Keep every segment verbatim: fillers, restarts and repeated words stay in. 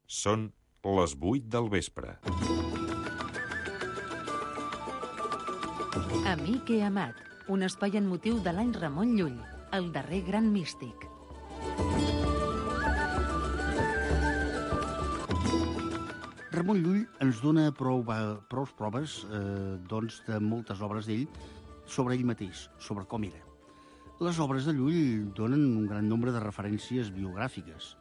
Són les vuit del vespre. Amic i amat, un espai en motiu de l'any Ramon Llull, el darrer gran místic. Ramon Llull ens dona prou, prou proves eh, doncs, de moltes obres d'ell sobre ell mateix, sobre com era. Les obres de Llull donen un gran nombre de referències biogràfiques.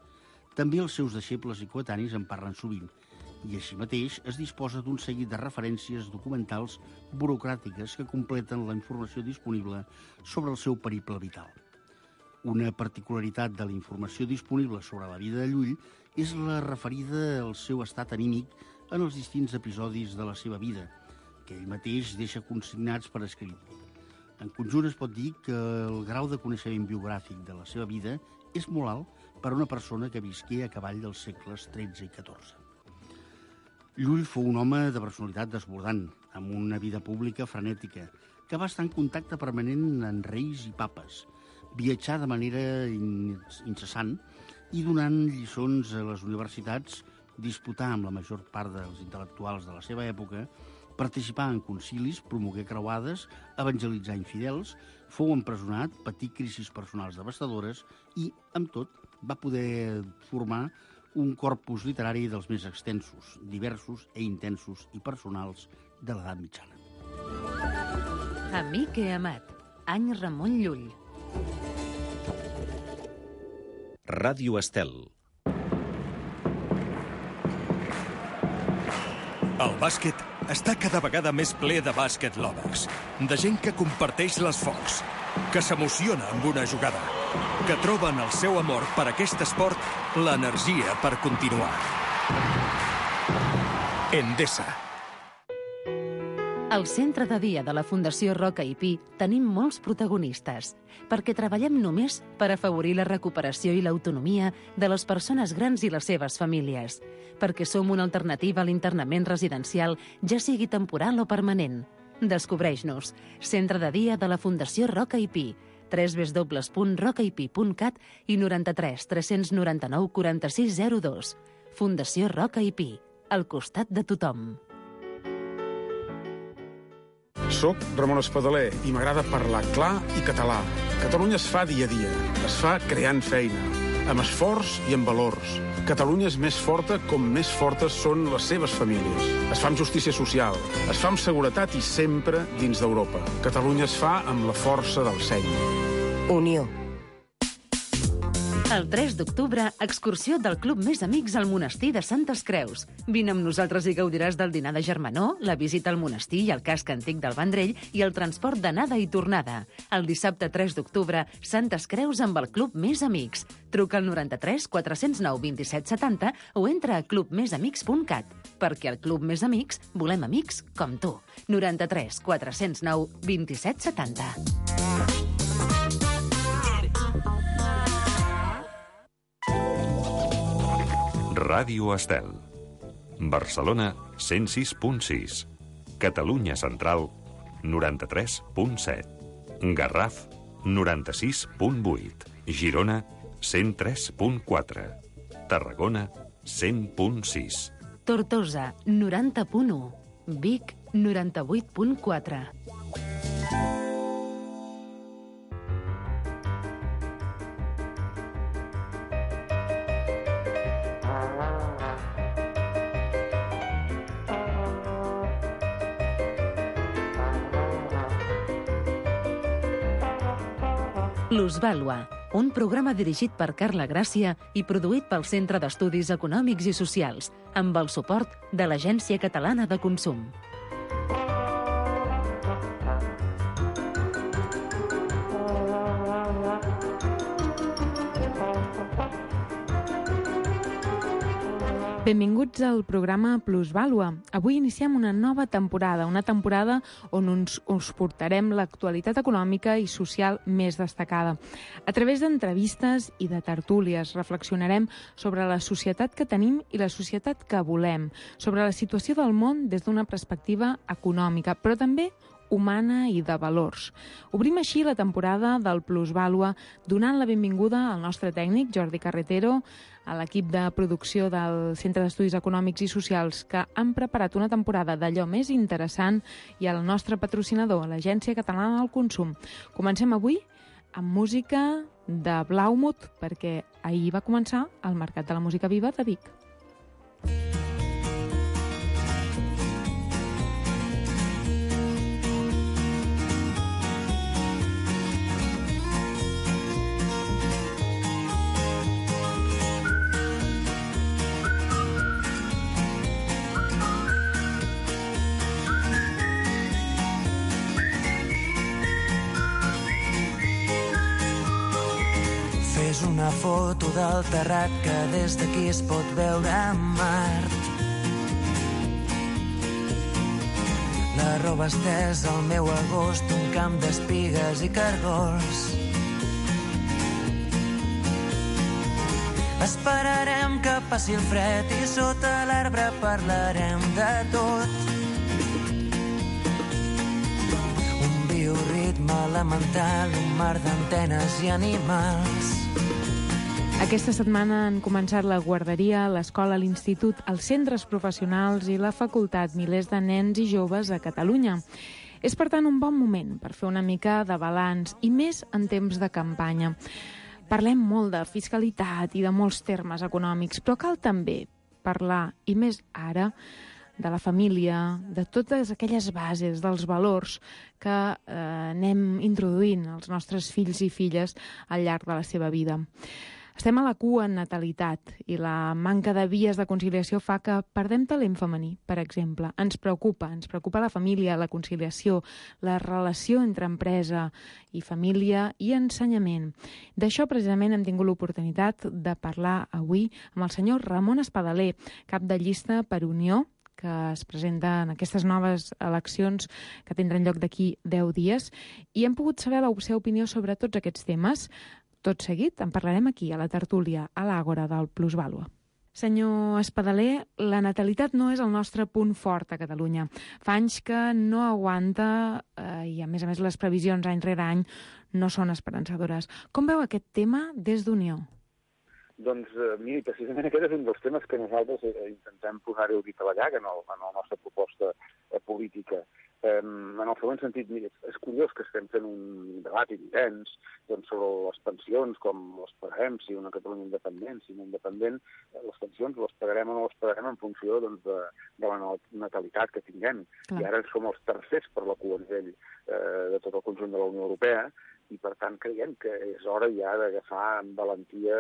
També els seus deixebles i coetanis en parlen sovint, i així mateix es disposa d'un seguit de referències documentals burocràtiques que completen la informació disponible sobre el seu periple vital. Una particularitat de la informació disponible sobre la vida de Llull és la referida al seu estat anímic en els distints episodis de la seva vida, que ell mateix deixa consignats per escrit. En conjunt es pot dir que el grau de coneixement biogràfic de la seva vida és molt alt per a una persona que visqué a cavall dels segles tretze i catorze. Llull fou un home de personalitat desbordant, amb una vida pública frenètica, que va estar en contacte permanent amb reis i papes, viatjar de manera incessant i donant lliçons a les universitats, disputar amb la major part dels intel·lectuals de la seva època, participar en concilis, promoguer creuades, evangelitzar infidels, fou empresonat, patir crisis personals devastadores i, amb tot, va poder formar un corpus literari dels més extensos, diversos i intensos i personals de l'edat mitjana. Amic i amat, any Ramon Llull. Ràdio Estel. El bàsquet està cada vegada més ple de bàsquet lovers, de gent que comparteix l'esforç, que s'emociona amb una jugada, que troben el seu amor per aquest esport, l'energia per continuar. Endesa. Al centre de dia de la Fundació Roca i Pi tenim molts protagonistes, perquè treballem només per afavorir la recuperació i l'autonomia de les persones grans i les seves famílies, perquè som una alternativa a l'internament residencial, ja sigui temporal o permanent. Descobreix-nos. Centre de dia de la Fundació Roca i Pi, w w w punt roca i pi punt cat i noranta-tres tres noranta-nou quaranta-sis zero dos. Fundació Roca i Pi, al costat de tothom. Soc Ramon Espadaler i m'agrada parlar clar i català. Catalunya es fa dia a dia, es fa creant feina, amb esforç i amb valors. Catalunya és més forta com més fortes són les seves famílies. Es fa amb justícia social, es fa amb seguretat i sempre dins d'Europa. Catalunya es fa amb la força del seny. Unió. El tres d'octubre, excursió del Club Més Amics al monestir de Santes Creus. Vine amb nosaltres i gaudiràs del dinar de germanor, la visita al monestir i al casc antic del Vendrell i el transport d'anada i tornada. El dissabte tres d'octubre, Santes Creus amb el Club Més Amics. Truca al noranta-tres quatre zero nou vint-i-set setanta o entra a club més amics punt cat, perquè al Club Més Amics volem amics com tu. noranta-tres quatre zero nou vint-i-set setanta. Ràdio Estel. Barcelona, cent sis punt sis. Catalunya Central, noranta-tres punt set. Garraf, noranta-sis punt vuit. Girona, cent tres punt quatre. Tarragona, cent punt sis. Tortosa, noranta punt u. Vic, noranta-vuit punt quatre. Plusvàlua, un programa dirigit per Carla Gràcia i produït pel Centre d'Estudis Econòmics i Socials, amb el suport de l'Agència Catalana de Consum. Benvinguts al programa Plusvàlua. Avui iniciem una nova temporada, una temporada on uns, us portarem l'actualitat econòmica i social més destacada. A través d'entrevistes i de tertúlies reflexionarem sobre la societat que tenim i la societat que volem, sobre la situació del món des d'una perspectiva econòmica, però també humana i de valors. Obrim així la temporada del Plusvàlua, donant la benvinguda al nostre tècnic, Jordi Carretero, a l'equip de producció del Centre d'Estudis Econòmics i Socials, que han preparat una temporada d'allò més interessant, i al nostre patrocinador, l'Agència Catalana del Consum. Comencem avui amb música de Blaumut, perquè ahir va començar el Mercat de la Música Viva de Vic. És una foto del terrat que des d'aquí es pot veure a Mart. La roba estesa al meu agost, un camp d'espigues i cargols. Esperarem que passi el fred i sota l'arbre parlarem de tot. Un bioritme elemental, un mar d'antenes i animals. Aquesta setmana han començat la guarderia, l'escola, l'institut, els centres professionals i la facultat, milers de nens i joves a Catalunya. És, per tant, un bon moment per fer una mica de balanç, i més en temps de campanya. Parlem molt de fiscalitat i de molts termes econòmics, però cal també parlar, i més ara, de la família, de totes aquelles bases, dels valors que eh, anem introduint als nostres fills i filles al llarg de la seva vida. Estem a la cua en natalitat i la manca de vies de conciliació fa que perdem talent femení, per exemple. Ens preocupa, ens preocupa la família, la conciliació, la relació entre empresa i família i ensenyament. D'això precisament hem tingut l'oportunitat de parlar avui amb el senyor Ramon Espadaler, cap de llista per Unió, que es presenta en aquestes noves eleccions que tindran lloc d'aquí deu dies, i hem pogut saber la seva opinió sobre tots aquests temes. Tot seguit en parlarem aquí, a la tertúlia, a l'Àgora del Plusvàlua. Senyor Espadaler, la natalitat no és el nostre punt fort a Catalunya. Fa anys que no aguanta eh, i, a més a més, les previsions any rere any no són esperançadores. Com veu aquest tema des d'Unió? Doncs, eh, miri, precisament aquest és un dels temes que nosaltres eh, intentem posar-hi el dit a la llaga en, el, en la nostra proposta eh, política. Eh, en el següent sentit, mira, és curiós que estem fent un debat intens doncs, sobre les pensions, com les pagarem, si una Catalunya independent, si no independent, eh, les pensions les pagarem o no les pagarem en funció doncs, de, de la natalitat que tinguem. Clar. I ara som els tercers per la cua a nivell eh, de tot el conjunt de la Unió Europea, i per tant creiem que és hora ja d'agafar amb valentia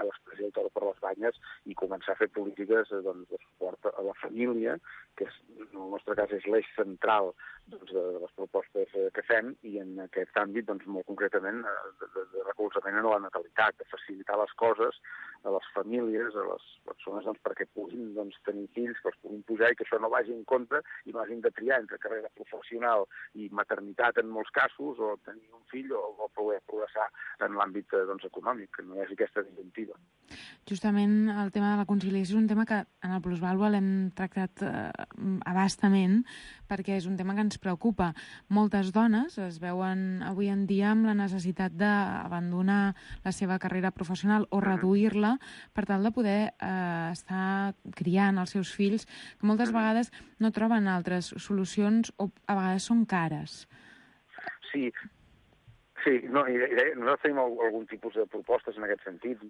a l'expressió i tot per les banyes i començar a fer polítiques doncs, de suport a la família, que és, en el nostre cas és l'eix central doncs, de les propostes que fem, i en aquest àmbit, doncs, molt concretament, de, de, de recolzament a la natalitat, de facilitar les coses a les famílies, a les persones doncs, perquè puguin doncs, tenir fills, que els puguin pujar i que això no vagi en compte i no hagin de triar entre carrera professional i maternitat en molts casos, o tenir un fill o, o poder progressar en l'àmbit doncs, econòmic, que no hi hagi aquesta disjuntiva. Justament el tema de la conciliació és un tema que en el Plusvàlua l'hem tractat eh, abastament, perquè és un tema que ens preocupa. Moltes dones es veuen avui en dia amb la necessitat d'abandonar la seva carrera professional o reduir-la per tal de poder eh, estar criant els seus fills, que moltes vegades no troben altres solucions o a vegades són cares. Sí, sí, no, i, i nosaltres tenim algun tipus de propostes en aquest sentit,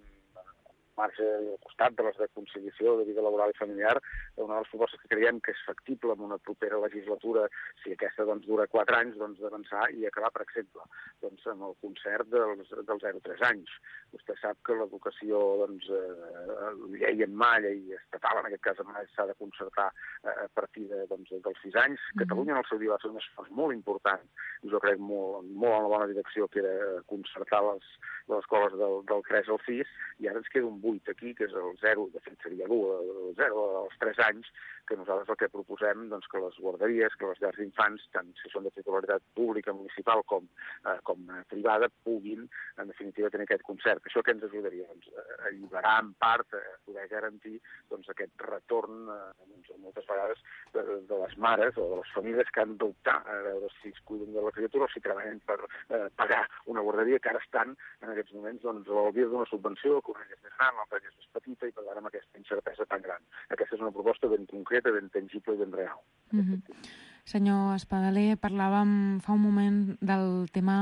marge al costat de les de conciliació de vida laboral i familiar, una de les propostes que creiem que és factible en una propera legislatura, si aquesta doncs, dura quatre anys, doncs d'avançar i acabar, per exemple, doncs, amb el concert dels, dels zero a tres anys. Vostè sap que l'educació, doncs, eh, llei en mà, llei estatal, en aquest cas s'ha de concertar eh, a partir de, doncs, dels sis anys. Mm-hmm. Catalunya en el seu dia va fer un esforç molt important, i jo crec molt, molt en la bona direcció, que era concertar les, les escoles del, del tres al sis, i ara ens queda un vuit aquí, que és el zero, de fet seria l'u, el zero als tres anys, que nosaltres el que proposem doncs, que les guarderies, que les llars d'infants, tant si són de titularitat pública, municipal com, eh, com privada, puguin, en definitiva, tenir aquest concert. Això què ens ajudaria? Doncs, eh, alliberar en part, eh, poder garantir doncs, aquest retorn, eh, doncs, moltes vegades, de, de les mares o de les famílies que han d'optar a veure si es cuiden de la criatura o si treballen per eh, pagar una guarderia, que ara estan, en aquests moments, doncs, al dia d'una subvenció, que una és més gran, l'altra és més petita, i per tant amb aquesta incertesa tan gran. Aquesta és una proposta ben concreta, ben tangible i ben real. Mm-hmm. Senyor Espadaler, parlàvem fa un moment del tema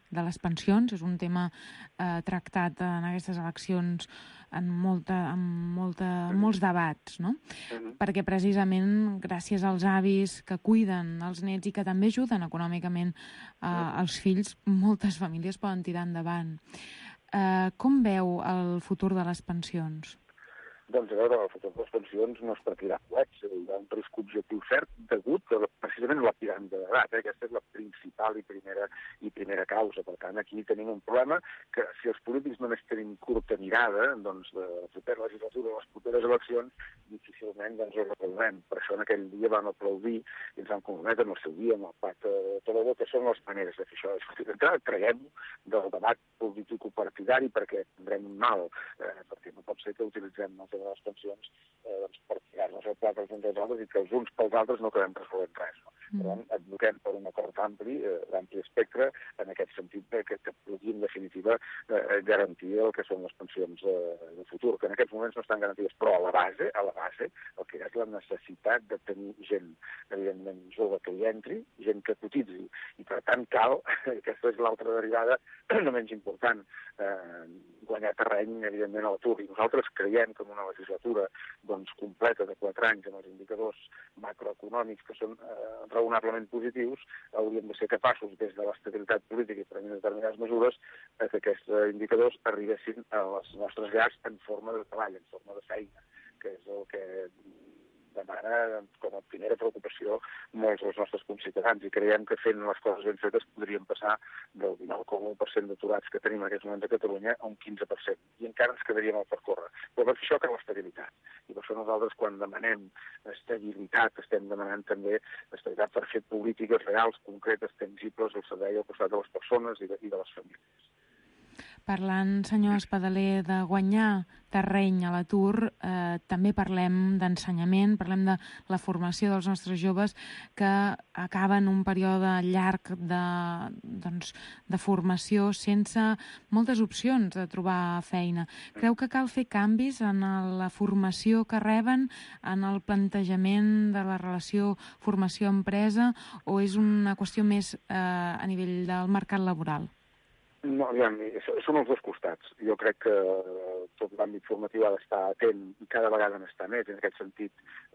de les pensions. És un tema eh, tractat en aquestes eleccions en, molta, en molta, mm-hmm. molts debats, no? Mm-hmm. Perquè precisament gràcies als avis que cuiden els nets i que també ajuden econòmicament eh, mm-hmm. els fills, moltes famílies poden tirar endavant. Eh, com veu el futur de les pensions? Doncs, a veure, el futur de les pensions no es partirà coets, hi ha un risc objectiu cert degut a, precisament a la piràmide d'edat. Eh? Aquesta és la principal i primera, i primera causa. Per tant, aquí tenim un problema que si els polítics només tenim curta mirada, doncs, de la propera legislatura o les properes eleccions, difícilment doncs, ho recolzem. Per això en aquell dia vam aplaudir i ens vam comprometre en el seu dia amb el pacte de Toledo, que són les maneres de fer això. D'entrada, traguem del debat político-partidari perquè tindrem un mal, eh, perquè no pot ser que utilitzem el de les pensions eh, doncs, per tirar-nos el plat els uns als altres i que els uns pels altres no acabem resolent res. No? Mm. Per tant, advoquem per un acord ampli, eh, d'ampli espectre, en aquest sentit que, que pugui, en definitiva, eh, garantir el que són les pensions eh, de futur, que en aquests moments no estan garantides, però a la base, a la base, el que és la necessitat de tenir gent, evidentment, jove que hi entri, gent que cotitzi, i per tant cal, aquesta és l'altra derivada, no menys important, eh, guanyar terreny, evidentment, a l'atur. I nosaltres creiem que en una legislatura doncs, completa de quatre anys amb els indicadors macroeconòmics que són eh, raonablement positius, hauríem de ser capaços, des de l'estabilitat política i prenent determinades mesures, eh, que aquests indicadors arribessin a les nostres llars en forma de treball, en forma de feina, que és el que demana com a primera preocupació molts dels nostres conciutadans, i creiem que fent les coses ben fetes podríem passar del dinou coma u per cent d'aturats que tenim en aquests moments a Catalunya a un quinze per cent, i encara ens quedaríem al percórrer. Però per això cal l'estabilitat, i per això nosaltres quan demanem estabilitat estem demanant també estabilitat per fer polítiques reals, concretes, tangibles al servei al costat de les persones i de, i de les famílies. Parlant, senyor Espadaler, de guanyar terreny a l'atur, eh, també parlem d'ensenyament, parlem de la formació dels nostres joves que acaben un període llarg de, doncs, de formació sense moltes opcions de trobar feina. Creu que cal fer canvis en la formació que reben, en el plantejament de la relació formació-empresa, o és una qüestió més eh, a nivell del mercat laboral? No, aviam, són els dos costats. Jo crec que tot l'àmbit formatiu ha d'estar atent i cada vegada n'està més. En aquest sentit,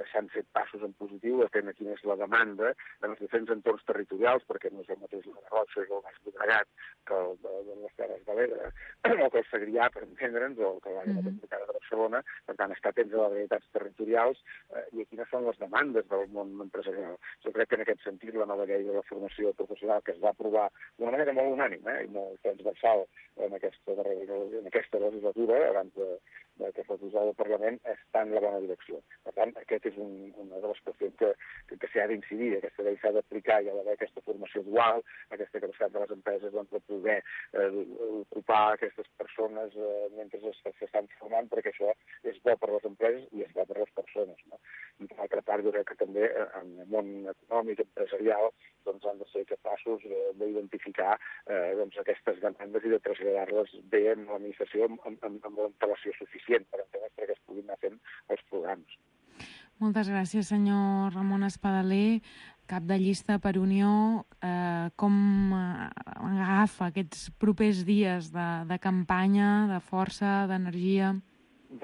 s'han fet passos en positiu, atent a quina és la demanda en els diferents entorns territorials, perquè no és el mateix la Garrotxa o el Baix Llobregat que el de, de les Terres de l'Ebre, o que el Segrià, per entendre'ns, o que l'àrea metropolitana de Barcelona. Per tant, estar atents a les realitats territorials eh, i a quines són les demandes del món empresarial. Jo crec que en aquest sentit la nova llei de la formació professional que es va aprovar d'una manera molt unànime eh, i molt transversal en aquesta, en aquesta legislatura, abans de, de que fos usada al Parlament, està en la bona direcció. Per tant, aquest és un, una de les qüestions que, que, que s'ha d'incidir. Aquesta llei s'ha d'aplicar, hi ha d'haver aquesta formació dual, aquesta capacitat de les empreses doncs, de poder eh, ocupar aquestes persones eh, mentre s'estan formant, perquè això és bo per a les empreses i és bo per a les persones. No? I per altra part, jo crec que també en el món econòmic, empresarial, doncs han de ser capaços eh, d'identificar eh, doncs, aquestes demandes i de traslladar-les bé en l'administració amb, amb, amb l'antelació suficient per entendre que es puguin anar fent els programes. Moltes gràcies, senyor Ramon Espadaler, cap de llista per Unió. Eh, com agafa aquests propers dies de, de campanya, de força, d'energia?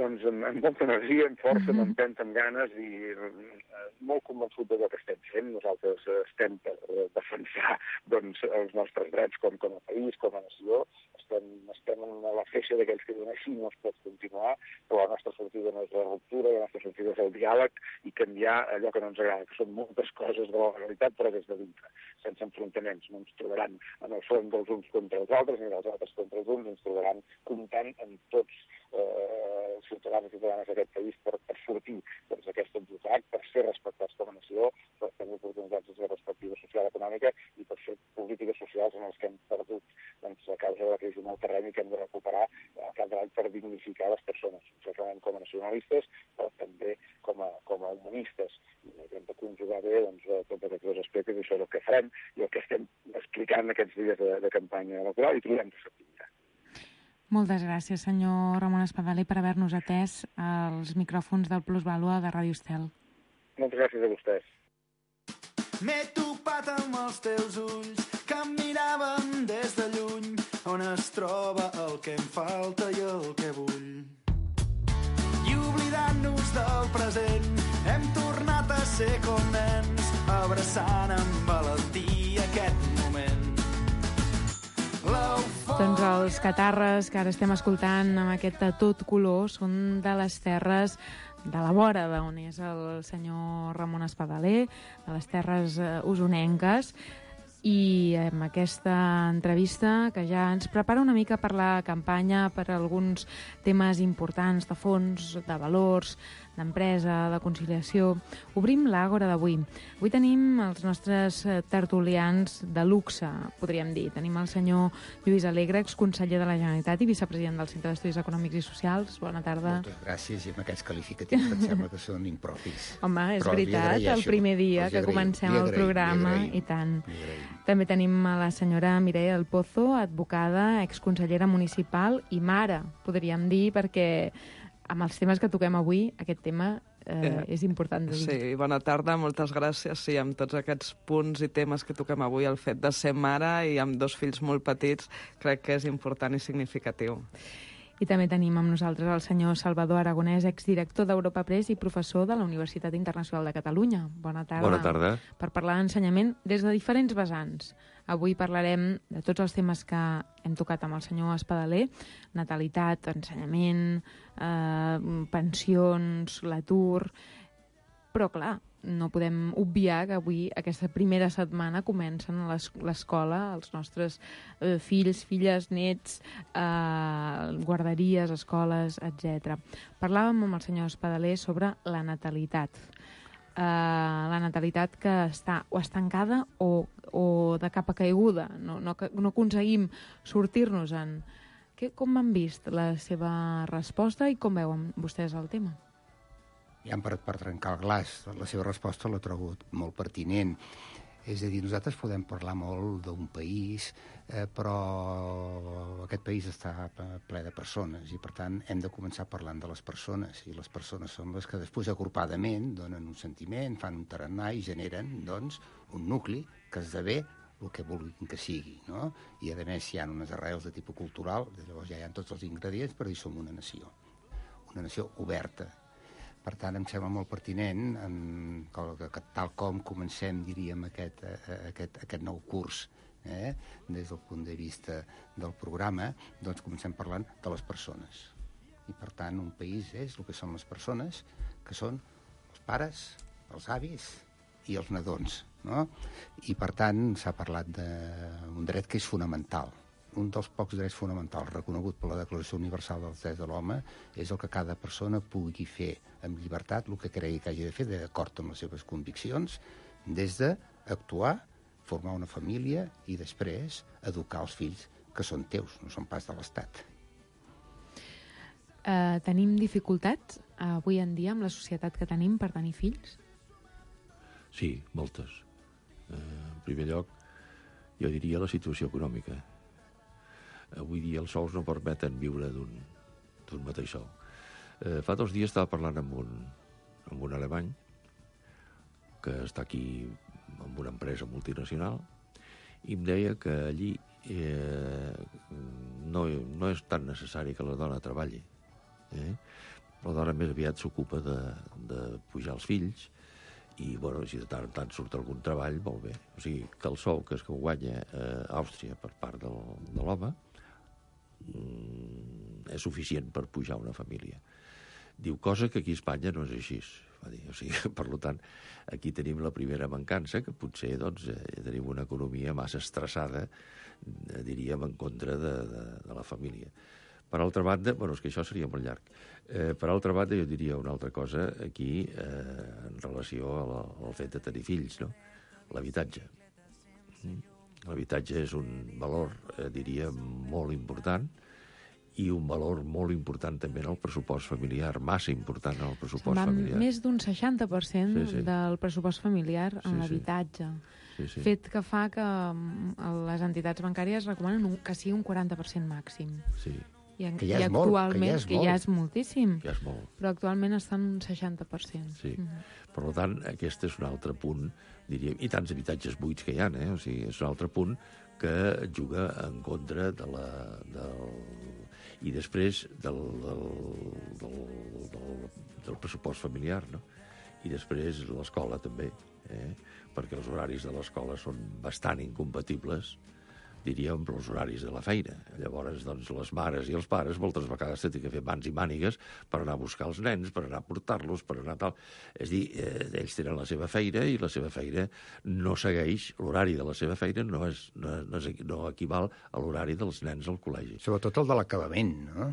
doncs, amb, amb molta energia, amb força, amb empenta, amb ganes i eh, molt convençut de que estem fent. Nosaltres estem per defensar doncs, els nostres drets com, com a país, com a nació. Estem, estem en la feixa d'aquells que diuen així no es pot continuar, però la nostra sortida no és la ruptura, la nostra sortida és el diàleg i canviar allò que no ens agrada, que són moltes coses de la legalitat, però des de dintre, sense enfrontaments. No ens trobaran en el front dels uns contra els altres, ni dels altres contra els uns, ens trobaran comptant amb tots eh, els ciutadans i ciutadanes d'aquest país per, per sortir doncs, d'aquest atzucac, per ser respectats com a nació, per tenir oportunitats de ser perspectiva social i econòmica i per fer polítiques socials en els que hem perdut doncs, a causa de la crisi en el terreny i que hem de recuperar a cada any per dignificar les persones, certament com a nacionalistes, però també com a, com a humanistes. I hem de conjugar bé doncs, tots aquests dos aspectes i això és el que farem i el que estem explicant aquests dies de, de campanya electoral i trobem que s'activirà. Moltes gràcies, senyor Ramon Espadaler, per haver-nos atès als micròfons del Plusvàlua de Ràdio Estel. Moltes gràcies a vostès. M'he topat amb els teus ulls que em miraven des de lluny, on es troba el que em falta i el que vull. I oblidant-nos del present, hem tornat a ser com nens, abraçant amb valentia aquest moment. Doncs els catarres que ara estem escoltant amb aquest a tot color són de les terres de la vora d'on és el senyor Ramon Espadaler, de les terres usonenques, i amb aquesta entrevista que ja ens prepara una mica per la campanya, per alguns temes importants de fons, de valors, d'empresa, de conciliació, obrim l'àgora d'avui. Avui tenim els nostres tertulians de luxe, podríem dir. Tenim el senyor Lluís Alegre, exconseller de la Generalitat i vicepresident del Centre d'Estudis Econòmics i Socials. Bona tarda. Moltes gràcies, i amb aquests qualificatius que em sembla que són impropis. Home, és Però veritat, el primer dia que comencem el programa, i tant. També tenim a la senyora Mireia del Pozo, advocada, exconsellera municipal i mare, podríem dir, perquè amb els temes que toquem avui, aquest tema eh, eh, és important de dir. Sí, bona tarda, moltes gràcies. Sí, amb tots aquests punts i temes que toquem avui, el fet de ser mare i amb dos fills molt petits, crec que és important i significatiu. I també tenim amb nosaltres el senyor Salvador Aragonès, exdirector d'Europa Press i professor de la Universitat Internacional de Catalunya. Bona tarda. Bona tarda. Per parlar d'ensenyament des de diferents vessants. Avui parlarem de tots els temes que hem tocat amb el senyor Espadaler: natalitat, ensenyament, eh, pensions, l'atur. Però, clar, no podem obviar que avui, aquesta primera setmana, comencen a l'escola els nostres eh, fills, filles, nets, eh, guarderies, escoles, etcètera. Parlàvem amb el senyor Espadaler sobre la natalitat. Eh, la natalitat que està o estancada o, o de capa caiguda. No, no, no aconseguim sortir-nos-en. Com han vist la seva resposta i com veuen vostès el tema? Ja per, per trencar el glaç, la seva resposta l'he trobat molt pertinent. És a dir, nosaltres podem parlar molt d'un país, eh, però aquest país està ple de persones i, per tant, hem de començar parlant de les persones. I les persones són les que després, agrupadament, donen un sentiment, fan un tarannà i generen, doncs, un nucli que esdevé el que vulguin que sigui, no? I, a més, hi ha unes arrels de tipus cultural, llavors ja hi ha tots els ingredients per dir som una nació. Una nació oberta. Per tant, em sembla molt pertinent, en, que, que tal com comencem, diríem, aquest, aquest, aquest nou curs, eh, des del punt de vista del programa, doncs comencem parlant de les persones. I, per tant, un país és el que són les persones, que són els pares, els avis i els nadons, no? I, per tant, s'ha parlat d'un dret que és fonamental. Un dels pocs drets fonamentals reconegut per la Declaració Universal dels Drets de l'Home és el que cada persona pugui fer amb llibertat el que cregui que hagi de fer d'acord amb les seves conviccions, des d'actuar, formar una família i després educar els fills que són teus, no són pas de l'Estat. Uh, tenim dificultats uh, avui en dia amb la societat que tenim per tenir fills? Sí, moltes. Uh, en primer lloc, jo diria la situació econòmica. Avui dia els sous no permeten viure d'un mateix sou. Eh, fa dos dies estava parlant amb un, amb un alemany que està aquí en una empresa multinacional i em deia que allí eh, no, no és tan necessari que la dona treballi, eh? La dona més aviat s'ocupa de, de pujar els fills i, bueno, si de tant en tant surt algun treball, molt bé. O sigui, que el sou que es guanya a Àustria per part del, de l'home mm, és suficient per pujar una família. Diu, cosa que aquí a Espanya no és així. Va dir. O sigui, per tant, aquí tenim la primera mancança, que potser doncs, eh, tenim una economia massa estressada, eh, diríem, en contra de, de, de la família. Per altra banda, bueno, és que això seria molt llarg. Eh, per altra banda, jo diria una altra cosa aquí eh, en relació a la, al fet de tenir fills, no? L'habitatge. Mm. L'habitatge és un valor, eh, diria, molt important, i un valor molt important també en el pressupost familiar, massa important en el pressupost Va familiar. Més d'un seixanta per cent sí, sí. del pressupost familiar en Sí, sí. l'habitatge. Sí, sí. Fet que fa que mm, les entitats bancàries recomanen un, que sigui un quaranta per cent màxim. Sí. I, en, Que ja i és molt, que actualment, ja és que molt. ja és moltíssim, Ja és molt. però actualment està en un seixanta per cent. Sí. Mhm. Per tant, aquest és un altre punt, diríem, i tants habitatges buits que hi ha, eh? O sigui, és un altre punt que juga en contra de la... Del... i després del, del, del, del, del pressupost familiar, no? I després l'escola també, eh? Perquè els horaris de l'escola són bastant incompatibles, diríem, amb els horaris de la feina. Llavors, doncs, les mares i els pares moltes vegades tenen que fer mans i mànigues per anar a buscar els nens, per anar a portar-los, per anar tal... És a dir, eh, ells tenen la seva feina i la seva feina no segueix, l'horari de la seva feina no, és, no, no, és, no equival a l'horari dels nens al col·legi. Sobretot el de l'acabament, no?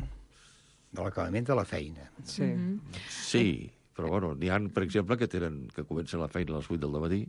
De l'acabament de la feina. Sí. Mhm. Sí, però bueno, n'hi ha, per exemple, que tenen que comencen la feina a les vuit del matí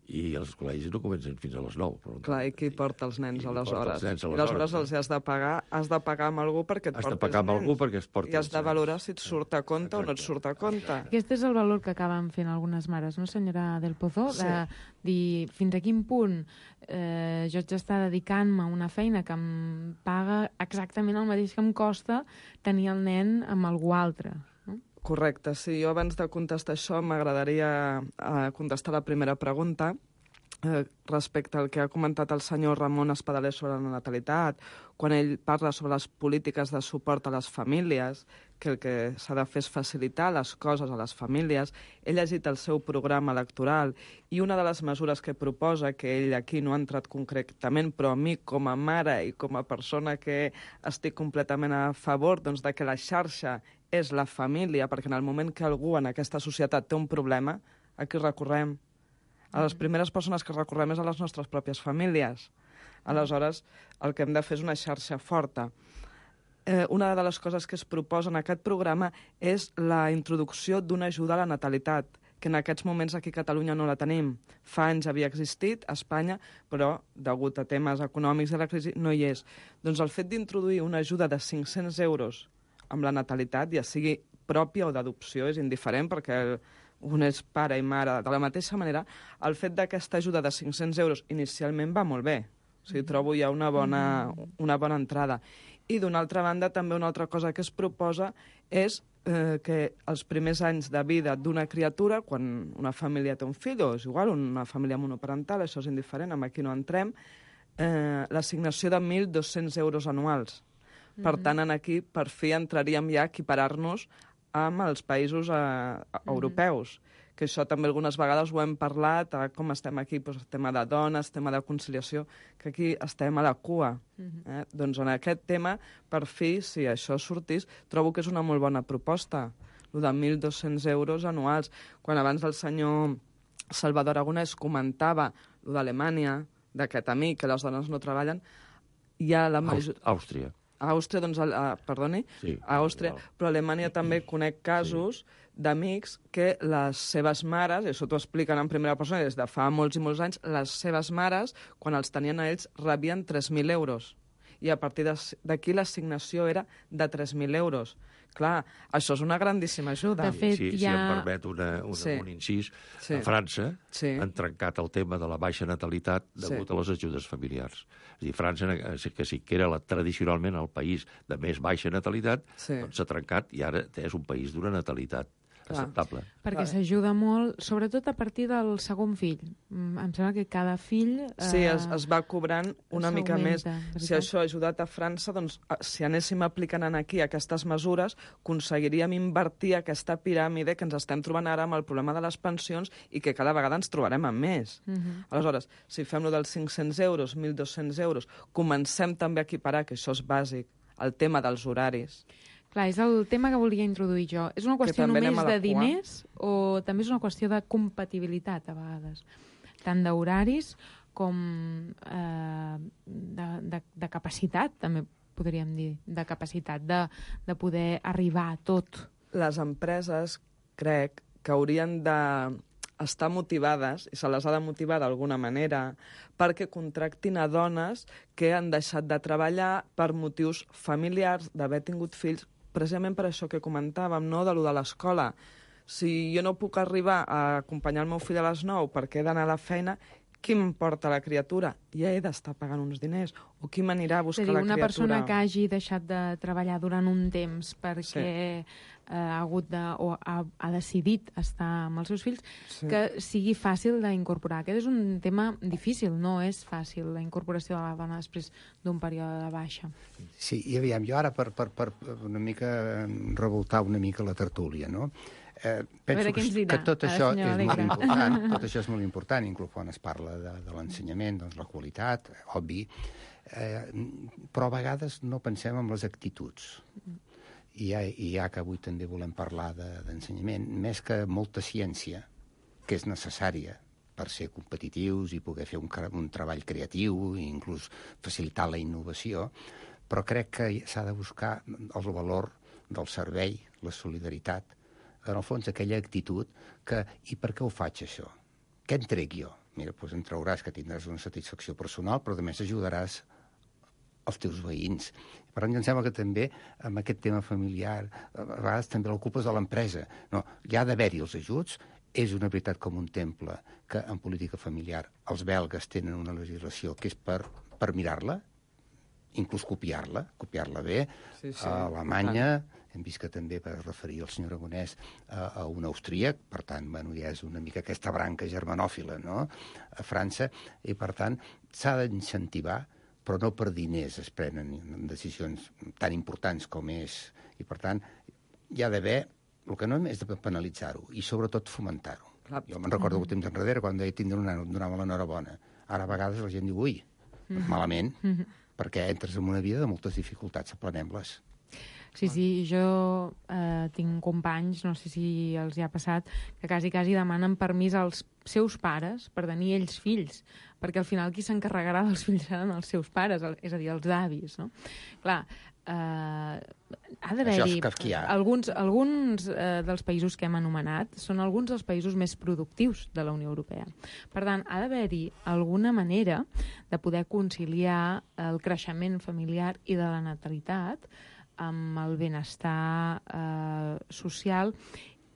i els col·legis no comencen fins a les nou. Però... Clar, i qui porta els nens I qui aleshores? porta els nens I aleshores, aleshores no? els has de pagar, has de pagar amb algú perquè et Has de porti pagar els amb algú nens. perquè es porti I has els de nens. valorar si et surt a compte o no et surt a compte. Aquest és el valor que acaben fent algunes mares, no, senyora Del Pozo? Sí. De dir fins a quin punt eh, jo haig d'estar dedicant-me a una feina que em paga exactament el mateix que em costa tenir el nen amb algú altre. No? Correcte, sí. Jo abans de contestar això m'agradaria eh, contestar la primera pregunta eh, respecte al que ha comentat el senyor Ramon Espadaler sobre la natalitat, quan ell parla sobre les polítiques de suport a les famílies, que el que s'ha de fer és facilitar les coses a les famílies. He llegit el seu programa electoral i una de les mesures que proposa, que ell aquí no ha entrat concretament, però a mi com a mare i com a persona que estic completament a favor doncs, de que la xarxa és la família, perquè en el moment que algú en aquesta societat té un problema, a qui recorrem? A les primeres persones que recorrem és a les nostres pròpies famílies. Aleshores, el que hem de fer és una xarxa forta. Eh, una de les coses que es proposa en aquest programa és la introducció d'una ajuda a la natalitat, que en aquests moments aquí a Catalunya no la tenim. Fa anys havia existit a Espanya, però degut a temes econòmics de la crisi no hi és. Doncs el fet d'introduir una ajuda de cinc-cents euros amb la natalitat, ja sigui pròpia o d'adopció, és indiferent, perquè un és pare i mare. De la mateixa manera, el fet d'aquesta ajuda de cinc-cents euros inicialment va molt bé. O sigui, trobo ja una bona, una bona entrada. I d'una altra banda, també una altra cosa que es proposa és eh, que els primers anys de vida d'una criatura, quan una família té un fill, o és igual, una família monoparental, això és indiferent, amb aquí no entrem, eh, l'assignació de mil dos-cents euros anuals. Per tant, en aquí, per fi, entraríem ja a equiparar-nos amb els països eh, europeus, que això també algunes vegades ho hem parlat, eh, com estem aquí, doncs, tema de dones, tema de conciliació, que aquí estem a la cua. Eh? Doncs en aquest tema, per fi, si això sortís, trobo que és una molt bona proposta, el de mil dos-cents euros anuals. Quan abans el senyor Salvador Aragonès comentava el d'Alemanya, d'aquest amic, que les dones no treballen, hi ha la major... Àustria. A Àustria, doncs, a, perdoni, Sí, a Àustria, però a Alemanya també conec casos sí. d'amics que les seves mares, i això t'ho expliquen en primera persona des de fa molts i molts anys, les seves mares, quan els tenien a ells, rebien tres mil euros. I a partir d'aquí l'assignació era de tres mil euros. Clar, això és una grandíssima ajuda. De fet, si, hi si ha... em permet una, una, Sí. un incís, Sí. a França Sí. han trencat el tema de la baixa natalitat degut Sí. a les ajudes familiars. És a dir, França, eh, que sí que era la, tradicionalment el país de més baixa natalitat, Sí. doncs s'ha trencat i ara és un país d'una natalitat acceptable. Perquè s'ajuda molt, sobretot a partir del segon fill. Em sembla que cada fill... Eh, sí, es, es va cobrant una mica més. veritat? Si això ha ajudat a França, doncs, si anéssim aplicant aquí aquestes mesures, aconseguiríem invertir aquesta piràmide que ens estem trobant ara amb el problema de les pensions i que cada vegada ens trobarem amb més. Uh -huh. Aleshores, si fem lo dels cinc-cents euros, mil dos-cents euros, comencem també a equiparar, que això és bàsic, el tema dels horaris. Clar, és el tema que volia introduir jo. És una qüestió només de diners o també és una qüestió de compatibilitat, a vegades? Tant d'horaris com eh, de, de, de capacitat, també podríem dir, de capacitat de, de poder arribar a tot. Les empreses, crec, que haurien de estar motivades, i se les ha de motivar d'alguna manera, perquè contractin a dones que han deixat de treballar per motius familiars, d'haver tingut fills, precisament per això que comentàvem, no?, de lo de l'escola. Si jo no puc arribar a acompanyar el meu fill a les nou perquè he d'anar a la feina, qui m'emporta la criatura? Ja he d'estar pagant uns diners. O qui m'anirà a buscar dir, la criatura? Una persona que hagi deixat de treballar durant un temps perquè sí. eh, ha hagut de, o ha, ha decidit estar amb els seus fills, sí. que sigui fàcil d'incorporar. Aquest és un tema difícil, no és fàcil, la incorporació de la dona després d'un període de baixa. Sí, i aviam, jo ara per, per, per una mica revoltar una mica la tertúlia, no? Eh, penso que, que tot això és molt important, tot això és molt important, inclús quan es parla de, de l'ensenyament, doncs la qualitat, obvi, eh, però a vegades no pensem en les actituds. I ja, i ja que avui també volem parlar d'ensenyament, de, més que molta ciència, que és necessària per ser competitius i poder fer un, un treball creatiu i inclús facilitar la innovació, però crec que s'ha de buscar el valor del servei, la solidaritat, en el fons aquella actitud que, i per què ho faig això? Què en trec jo? Mira, doncs en trauràs que tindràs una satisfacció personal, però a més ajudaràs els teus veïns. Per tant, em sembla que també amb aquest tema familiar a vegades també l'ocupes de l'empresa. No, hi ha d'haver-hi els ajuts. És una veritat com un temple que en política familiar els belgues tenen una legislació que és per, per mirar-la, inclús copiar-la, copiar-la bé. Sí, sí, a Alemanya hem vist que també va referir el senyor Aragonès a, a un austríac, per tant, bueno, ja és una mica aquesta branca germanòfila, no?, a França, i per tant s'ha d'incentivar, però no per diners es prenen decisions tan importants com és, i per tant hi ha d'haver, el que no és de penalitzar-ho, i sobretot fomentar-ho. Clar. Jo me'n recordo que temps enrere, quan deia tindre un nano, em donava l'enhorabona. Ara a vegades la gent diu, ui, mm-hmm. malament, mm-hmm. perquè entres en una vida de moltes dificultats, aplanem-les. Sí, sí, jo eh, tinc companys, no sé si els hi ha passat, que quasi, quasi demanen permís als seus pares per tenir ells fills, perquè al final qui s'encarregarà dels fills seran els seus pares, és a dir, els avis, no? Clar, eh, ha d'haver-hi... Alguns, alguns eh, dels països que hem anomenat són alguns dels països més productius de la Unió Europea. Per tant, ha d'haver-hi alguna manera de poder conciliar el creixement familiar i de la natalitat amb el benestar eh, social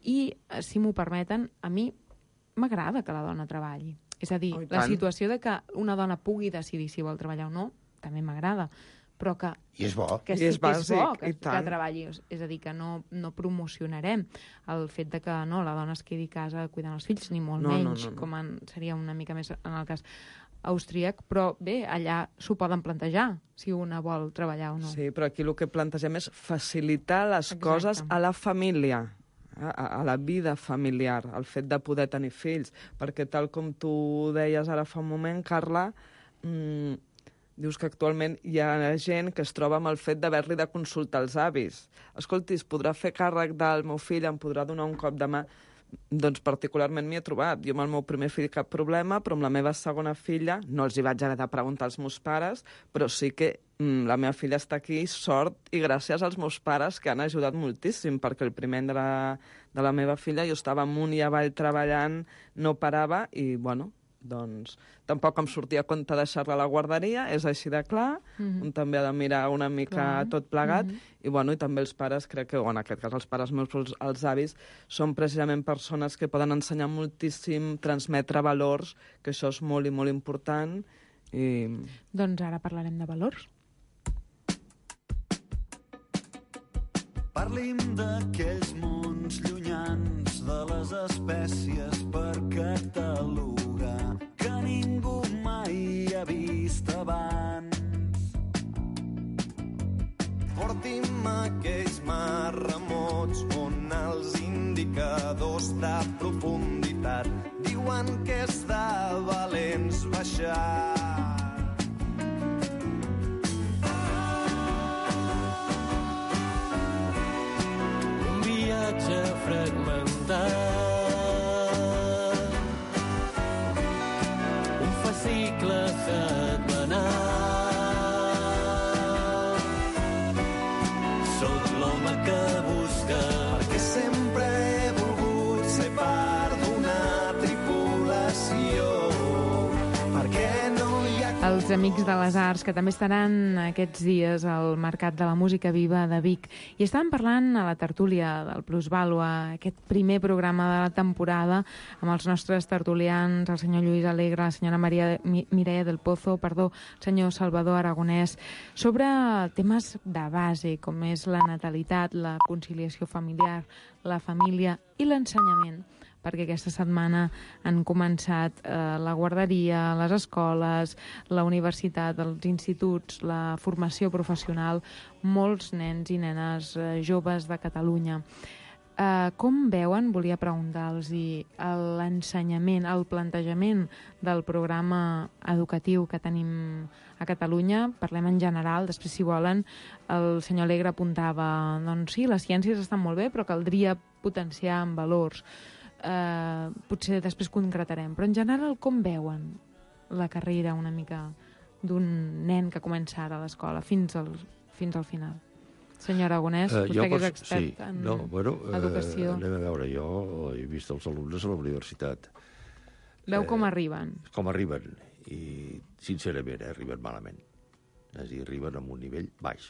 i, si m'ho permeten, a mi m'agrada que la dona treballi. És a dir, oh, la situació de que una dona pugui decidir si vol treballar o no, també m'agrada, però que... I és bo. Que, I és bàsic, és bo que, que treballi. És a dir, que no, no promocionarem el fet de que no, la dona es quedi a casa cuidant els fills, ni molt no, menys, no, no, no. com en, seria una mica més en el cas austríac, però bé, allà s'ho poden plantejar, si una vol treballar o no. Sí, però aquí el que plantegem és facilitar les Exacte. coses a la família, a, a la vida familiar, el fet de poder tenir fills, perquè tal com tu deies ara fa un moment, Carla, mmm, dius que actualment hi ha gent que es troba amb el fet d'haver-li de consultar els avis. Escolti, es podrà fer càrrec del meu fill, em podrà donar un cop de mà? Doncs particularment m'hi he trobat. Jo amb el meu primer fill cap problema, però amb la meva segona filla no els hi vaig haver de preguntar als meus pares, però sí que mm, la meva filla està aquí, sort, i gràcies als meus pares que han ajudat moltíssim, perquè el primer de la, de la meva filla jo estava amunt i avall treballant, no parava, i bueno, doncs tampoc em sortia a compte deixar-la a la guarderia, és així de clar, mm-hmm. un també ha de mirar una mica clar. tot plegat, mm-hmm. i bueno, i també els pares, crec que, o en aquest cas els pares meus, els, els avis, són precisament persones que poden ensenyar moltíssim, transmetre valors, que això és molt i molt important. I... Doncs ara parlarem de valors. Parlim d'aquells mons llunyans, de les espècies per catalogar, que ningú mai ha vist abans. Porti'm aquells mars remots on els indicadors de profunditat diuen que és de valents baixar. Un viatge fragmentat, un fascicle setmanal. Que busca, perquè sempre he volgut ser part d'una tripulació, perquè no hi ha... Els Amics de les Arts, que també estaran aquests dies al Mercat de la Música Viva de Vic. I estàvem parlant a la tertúlia del Plusvàlua, aquest primer programa de la temporada, amb els nostres tertulians, el senyor Lluís Alegre, la senyora Maria Mireia del Pozo, perdó, el senyor Salvador Aragonès, sobre temes de base, com és la natalitat, la conciliació familiar, la família i l'ensenyament, perquè aquesta setmana han començat eh, la guarderia, les escoles, la universitat, els instituts, la formació professional, molts nens i nenes eh, joves de Catalunya. Eh, com veuen, volia preguntar-los, l'ensenyament, el plantejament del programa educatiu que tenim a Catalunya? Parlem en general, després, si volen, el senyor Alegre apuntava, doncs sí, les ciències estan molt bé, però caldria potenciar en valors. Uh, potser després concretarem, però en general com veuen la carrera una mica d'un nen que comença ara a l'escola fins al, fins al final? Senyor Aragonès, uh, vostè que és expert sí. en no, bueno, educació. Uh, anem a veure, jo he vist els alumnes a la universitat. Veu com arriben? Uh, com arriben, i sincerament eh, arriben malament. És a dir, arriben amb un nivell baix.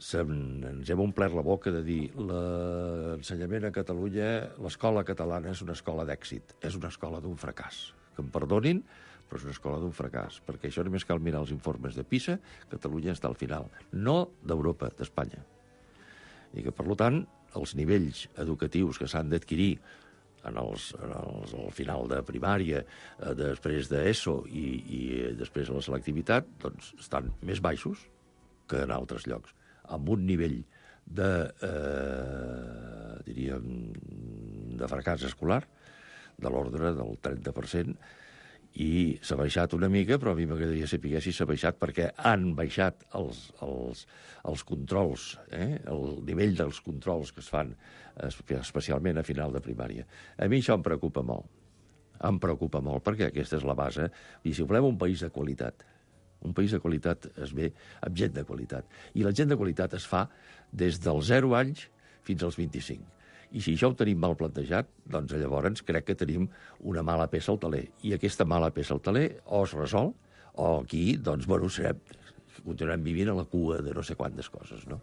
Se'n, ens hem omplert la boca de dir l'ensenyament a Catalunya, l'escola catalana és una escola d'èxit, és una escola d'un fracàs. Que em perdonin, però és una escola d'un fracàs, perquè això només cal mirar els informes de PISA, Catalunya està al final, no d'Europa, d'Espanya. I que, per tant, els nivells educatius que s'han d'adquirir en els, en els, al final de primària, eh, després d'ESO i, i després de la selectivitat, doncs estan més baixos que en altres llocs, amb un nivell de, eh, diríem, de fracàs escolar de l'ordre del trenta per cent, i s'ha baixat una mica, però a mi m'agradaria saber si s'ha baixat perquè han baixat els, els, els controls, eh? El nivell dels controls que es fan especialment a final de primària. A mi això em preocupa molt. Em preocupa molt perquè aquesta és la base. I si volem un país de qualitat, un país de qualitat es ve amb gent de qualitat. I la gent de qualitat es fa des dels zero anys fins als vint-i-cinc. I si això ho tenim mal plantejat, doncs llavors crec que tenim una mala peça al taler. I aquesta mala peça al taler o es resol, o aquí, doncs, bueno, serem, continuarem vivint a la cua de no sé quantes coses, no?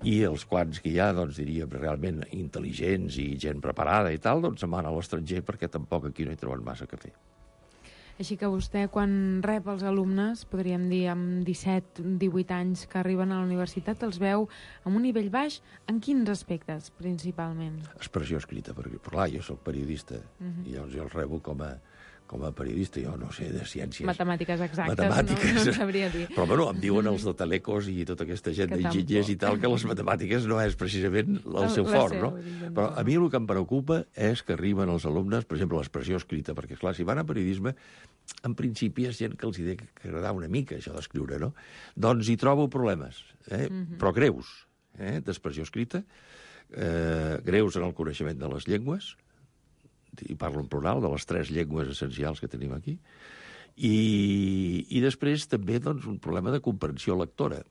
I els quants que hi ha, doncs, diríem, realment intel·ligents i gent preparada i tal, doncs se'n van a l'estranger perquè tampoc aquí no hi troben massa que fer. Així que vostè, quan rep els alumnes, podríem dir amb disset, divuit anys que arriben a la universitat, els veu amb un nivell baix, en quins aspectes, principalment? Expressió escrita, perquè, clar, jo soc periodista, uh-huh. i llavors jo els rebo com a, com a periodista, jo no sé de ciències. Matemàtiques exactes, matemàtiques. No, no sabria dir. Però, bueno, em diuen els de Telecos i tota aquesta gent d'enginyers i tal, que les matemàtiques no és precisament el seu fort, no? Però a mi el que em preocupa és que arriben els alumnes, per exemple, l'expressió escrita, perquè, clar, si van a periodisme, en principi és gent que els hi ha d'agradar una mica, això d'escriure, no? Doncs hi trobo problemes, eh? Uh-huh. Però greus, eh? D'expressió escrita, eh, greus en el coneixement de les llengües, i parlo en plural, de les tres llengües essencials que tenim aquí, i, i després també doncs, un problema de comprensió lectora.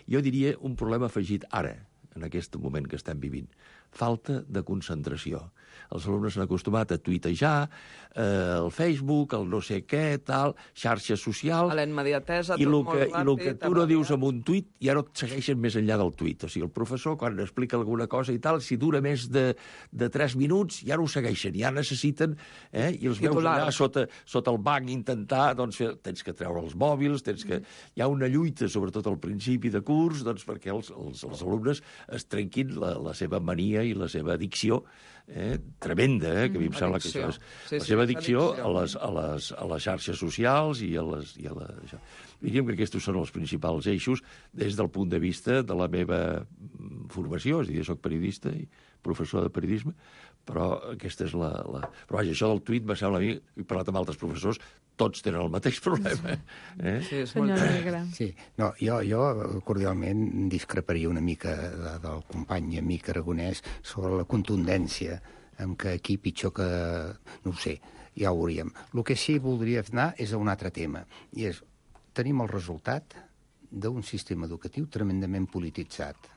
Jo diria un problema afegit ara, en aquest moment que estem vivint, falta de concentració. Els alumnes s'han acostumat a tuitejar, eh, el Facebook, el no sé què, tal, xarxes socials... A la immediatesa, i tot lo molt que, ràpid... I el que tu no dius en un tuit ja no et segueixen més enllà del tuit. O sigui, el professor, quan explica alguna cosa i tal, si dura més de, de tres minuts, ja no ho segueixen, ja necessiten... Eh, I els veus allà sota, sota el banc intentar... Doncs, fer, tens que treure els mòbils, tens que... Hi ha una lluita, sobretot al principi de curs, doncs, perquè els, els, els alumnes es trenquin la, la seva mania i la seva addicció eh, tremenda, eh, que a mi em sembla que això és sí, la sí, seva és addicció addicció. a les, a, les, a les xarxes socials i a les... I a la, això. Diríem que aquests són els principals eixos des del punt de vista de la meva formació, és a dir, jo soc periodista i professor de periodisme, però aquesta és la... la... Però vaja, això del tuit me sembla a mi, he parlat amb altres professors, tots tenen el mateix problema. Eh? Sí, és Senyor molt... Alegre. Sí, no, jo, jo cordialment discreparia una mica de, del company i amic aragonès sobre la contundència amb què aquí pitjor que... no ho sé, ja ho veuríem. El que sí voldria anar és a un altre tema, i és tenim el resultat d'un sistema educatiu tremendament polititzat,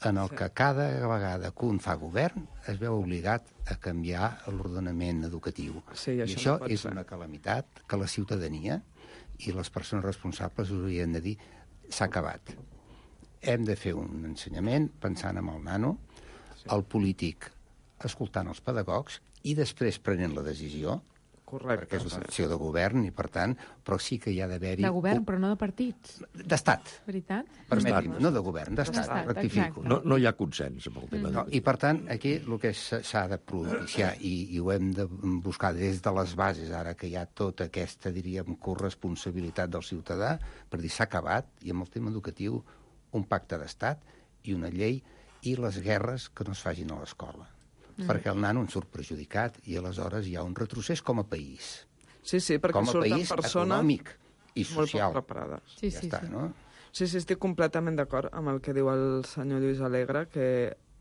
en el que cada vegada que un fa govern es veu obligat a canviar l'ordenament educatiu. Sí, I això això no pot és ser. una calamitat que la ciutadania i les persones responsables haurien de dir s'ha acabat. Hem de fer un ensenyament pensant en el nano, el polític escoltant els pedagogs i després prenent la decisió, Correcte. perquè és una acció de govern i, per tant, però sí que hi ha d'haver-hi... De govern, però no de partits. D'estat. Veritat? Permeti'm, no de govern, d'estat, D'estat, rectifico. exacte. No, no hi ha consens amb el tema. No, I, per tant, aquí el que s'ha de propiciar, i, i ho hem de buscar des de les bases, ara que hi ha tota aquesta, diríem, corresponsabilitat del ciutadà, per dir s'ha acabat, i amb el tema educatiu, un pacte d'estat i una llei i les guerres que no es facin a l'escola. Mm. Perquè el nano en surt perjudicat i aleshores hi ha un retrocés com a país. Sí, sí, perquè com a surten país persones econòmic i molt social. poc preparades. Sí, ja sí, està, sí. no? Sí, sí, estic completament d'acord amb el que diu el senyor Lluís Alegre, que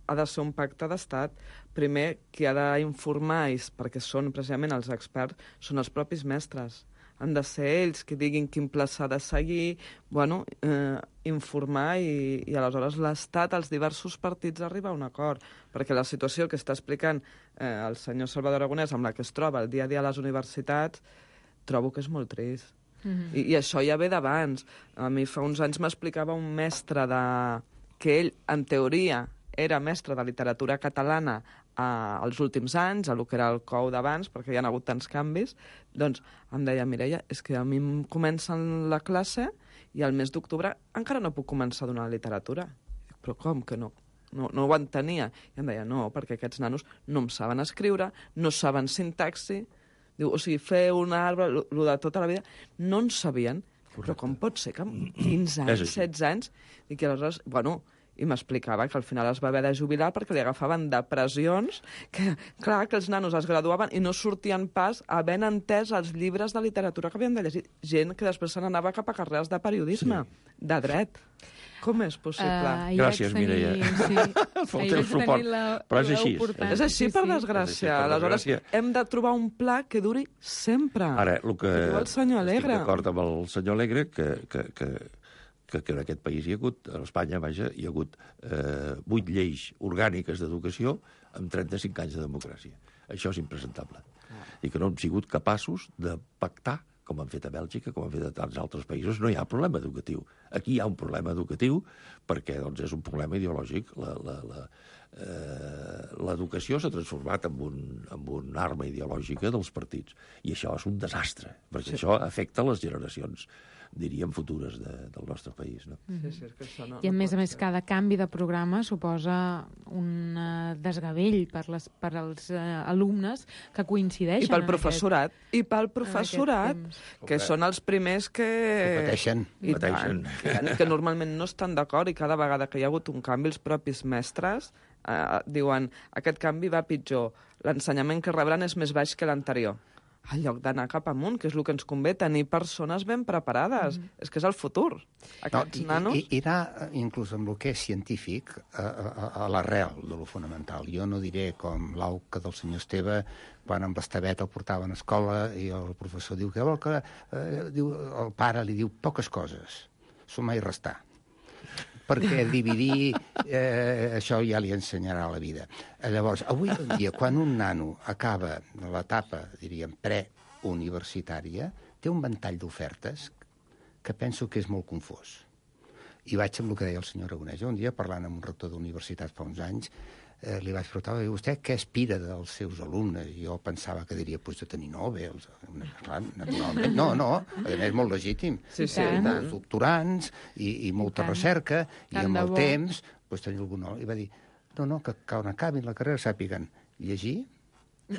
ha de ser un pacte d'estat. Primer, qui ha d'informar, perquè són precisament els experts, són els propis mestres. Han de ser ells que diguin quin pla s'ha de seguir, bueno, eh, informar i, i aleshores l'Estat, els diversos partits, arriba a un acord. Perquè la situació que està explicant eh, el senyor Salvador Aragonès, amb la que es troba el dia a dia a les universitats, trobo que és molt trist. Mm-hmm. I, I això ja ve d'abans. A mi fa uns anys m'explicava un mestre de... que ell, en teoria, era mestre de literatura catalana a, als últims anys, a lo que era el C O U d'abans, perquè hi ha hagut tants canvis, doncs em deia, Mireia, és que a mi em comencen la classe i al mes d'octubre encara no puc començar a donar literatura. Però com que no? No, no ho entenia. I em deia, no, perquè aquests nanos no em saben escriure, no saben sintaxi, diu, o sigui, fer un arbre, el de tota la vida, no en sabien. Correcte. Però com pot ser que amb quinze anys, setze anys, i que aleshores, bueno, i m'explicava que al final es va haver de jubilar perquè li agafaven depressions, que clar, que els nanos es graduaven i no sortien pas havent entès els llibres de literatura que havien de llegir. Gent que després se n'anava cap a carreres de periodisme, sí. de dret. Com és possible? Uh, Gràcies, tenir, Mireia. Sí. El teu suport. La, Però és així. És així, per desgràcia. És així, per aleshores, desgràcia. hem de trobar un pla que duri sempre. Ara, el que... El senyor Alegre. Estic d'acord amb el senyor Alegre que... que, que que, que en aquest país hi ha hagut, a Espanya, vaja, hi ha hagut eh, vuit lleis orgàniques d'educació amb trenta-cinc anys de democràcia. Això és impresentable. Ah. I que no hem sigut capaços de pactar, com han fet a Bèlgica, com han fet a tants altres països. No hi ha problema educatiu. Aquí hi ha un problema educatiu perquè doncs, és un problema ideològic. La, la, la, eh, l'educació s'ha transformat en un, en un arma ideològica dels partits. I això és un desastre, perquè sí. Això afecta les generacions, diríem, futures de, del nostre país. No? Sí, sí, és que això no, I a no més a més, ser. cada canvi de programa suposa un uh, desgavell per, les, per als uh, alumnes que coincideixen. I pel professorat, aquest, i pel professorat, que són els primers que... Que pateixen. I pateixen. tant, que, que normalment no estan d'acord i cada vegada que hi ha hagut un canvi, els propis mestres eh, diuen aquest canvi va pitjor, l'ensenyament que rebran és més baix que l'anterior. En lloc d'anar cap amunt, que és el que ens convé, tenir persones ben preparades. Mm. És que és el futur. Aquests no, nanos... I, i anar, inclús amb el que és científic, a, a, a l'arrel de lo fonamental. Jo no diré com l'auca del senyor Esteve, quan amb l'Estevet el portaven a escola i el professor diu que, que eh, diu, el pare li diu poques coses, sumar i restar. perquè dividir eh, això ja li ensenyarà la vida. Llavors, avui en dia, quan un nano acaba l'etapa, diríem, preuniversitària, té un ventall d'ofertes que penso que és molt confós. I vaig amb el que deia el senyor Aragonès. Un dia, parlant amb un rector d'universitat fa uns anys, eh, li vaig preguntar, vostè què aspira dels seus alumnes? I jo pensava que diria, pues, de tenir Nobel. Clar, naturalment. No, no, a més, és molt legítim. Sí, sí. Molts doctorants i, i molta tant. recerca, i Tant amb de el bo. temps, pues, tenir algun... I va dir, no, no, que quan acabin la carrera sàpiguen llegir,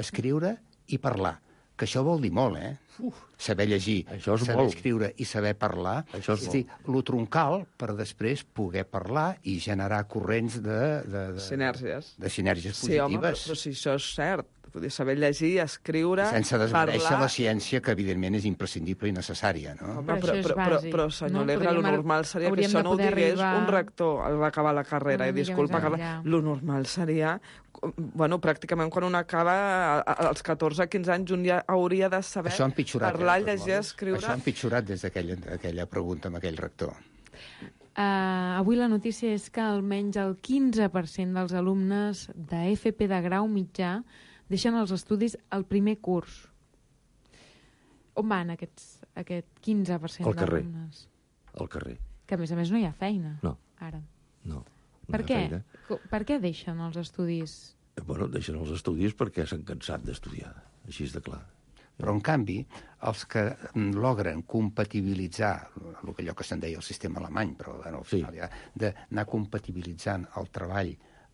escriure i parlar. Que això vol dir molt, eh? Uf. Saber llegir, saber molt. escriure i saber parlar. Això és és dir, lo troncal per després poder parlar i generar corrents de... de, de Sinergies. De sinergies Sí, home, però, positives. però si això és cert, vull dir, saber llegir, escriure, Sense desmereixer parlar... la ciència, que evidentment és imprescindible i necessària, no? Home, però, però, però, però, senyor no? Alegre, lo Podríem- normal seria que hauríem això de no ho poder digués arribar- un rector al acabar la carrera, Una i mica disculpa, més que enllà. lo normal seria, bueno, pràcticament quan un acaba a- a- als catorze quinze anys, un ja hauria de saber Això ha empitjorat. parlar, eh, de totes llegir, maneres. escriure... Això ha empitjorat des d'aquella aquella pregunta amb aquell rector. Uh, avui la notícia és que almenys el quinze per cent dels alumnes de F P de grau mitjà deixen els estudis al primer curs. On van aquests, aquest quinze per cent Al carrer. d'alumnes? Al carrer. Que a més a més no hi ha feina. No. Ara. No. Per no hi ha què? feina. Co- Per què deixen els estudis? Bueno, deixen els estudis perquè s'han cansat d'estudiar, així és de clar. Però, en canvi, els que mm, logren compatibilitzar, el que allò que se'n deia el sistema alemany, però bueno, al final sí. ja, d'anar compatibilitzant el treball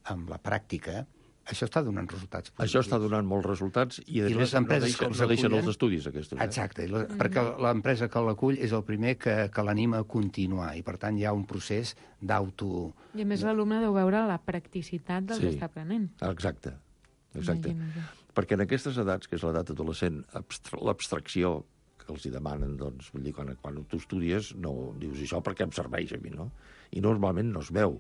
amb la pràctica, això està donant resultats positius. Això està donant molts resultats i, a I més, les empreses no deixen, que els no deixen acullen- els estudis, aquestos. Eh? Exacte, i la, perquè l'empresa que l'acull és el primer que, que l'anima a continuar, i per tant hi ha un procés d'auto... I a més l'alumne deu veure la practicitat del Sí. que està aprenent. Exacte, exacte. Imagina't. Perquè en aquestes edats, que és l'edat adolescent, abstra l'abstracció que els hi demanen, doncs, vull dir, quan, quan tu estudies, no dius això per què em serveix a mi, no? I normalment no es veu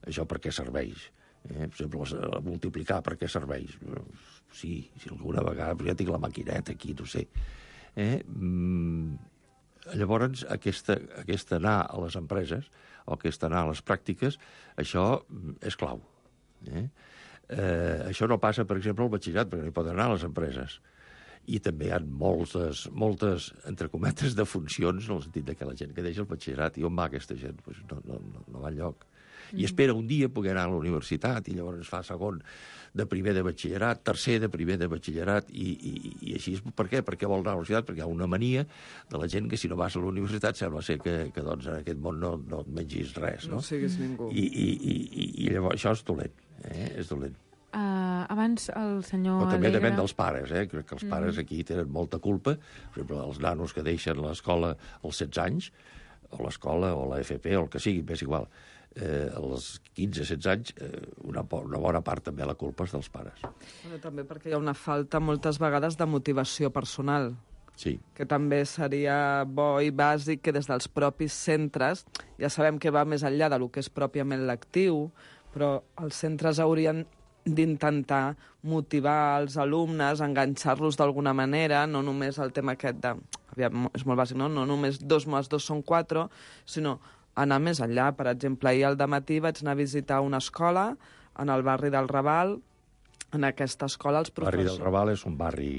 això per què serveix. Eh? Per exemple, la- multiplicar per què serveix. Sí, si alguna vegada, però ja tinc la maquineta aquí, no sé. Eh? Mm, llavors, aquesta, aquesta anar a les empreses, o aquesta anar a les pràctiques, això mm, és clau. Eh? Eh, això no passa, per exemple, al batxillerat, perquè no hi poden anar a les empreses. I també hi ha moltes, moltes, entre cometes, de funcions, en el sentit que la gent que deixa el batxillerat, i on va aquesta gent? Pues no, no, no, no va enlloc. I espera un dia poder anar a la universitat, i llavors fa segon de primer de batxillerat, tercer de primer de batxillerat, i, i, i així. Per què? Perquè vol anar a la universitat? Perquè hi ha una mania de la gent que si no vas a la universitat sembla ser que, que doncs, en aquest món no, no et mengis res, no? No siguis ningú. I, i, i, i, i llavors això és dolent, eh? És dolent. Uh, abans el senyor Però també Alegre... depèn dels pares, eh? Crec que els pares Mhm. aquí tenen molta culpa. Per exemple, els nanos que deixen l'escola als setze anys, o l'escola, o la F P, o el que sigui, m'és igual, eh, als quinze setze anys, eh, una, po- una bona part també la culpa és dels pares. Bueno, també perquè hi ha una falta moltes vegades de motivació personal. Sí. Que també seria bo i bàsic que des dels propis centres, ja sabem que va més enllà del que és pròpiament lectiu, però els centres haurien d'intentar motivar els alumnes, enganxar-los d'alguna manera, no només el tema aquest de... Aviam, és molt bàsic, no? No només dos més dos són quatre, sinó anar més enllà. Per exemple, ahir al dematí vaig anar a visitar una escola en el barri del Raval. En aquesta escola els El barri professors... del Raval és un barri,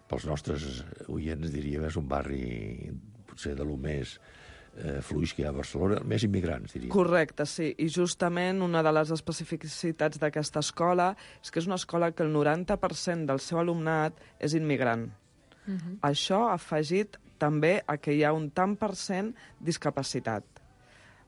pels nostres oients diríem, és un barri potser de lo més eh, fluix que hi ha a Barcelona, més immigrants, diríem. Correcte, sí. I justament una de les especificitats d'aquesta escola és que és una escola que el noranta per cent del seu alumnat és immigrant. Uh -huh. Això ha afegit també a que hi ha un tant per cent discapacitat.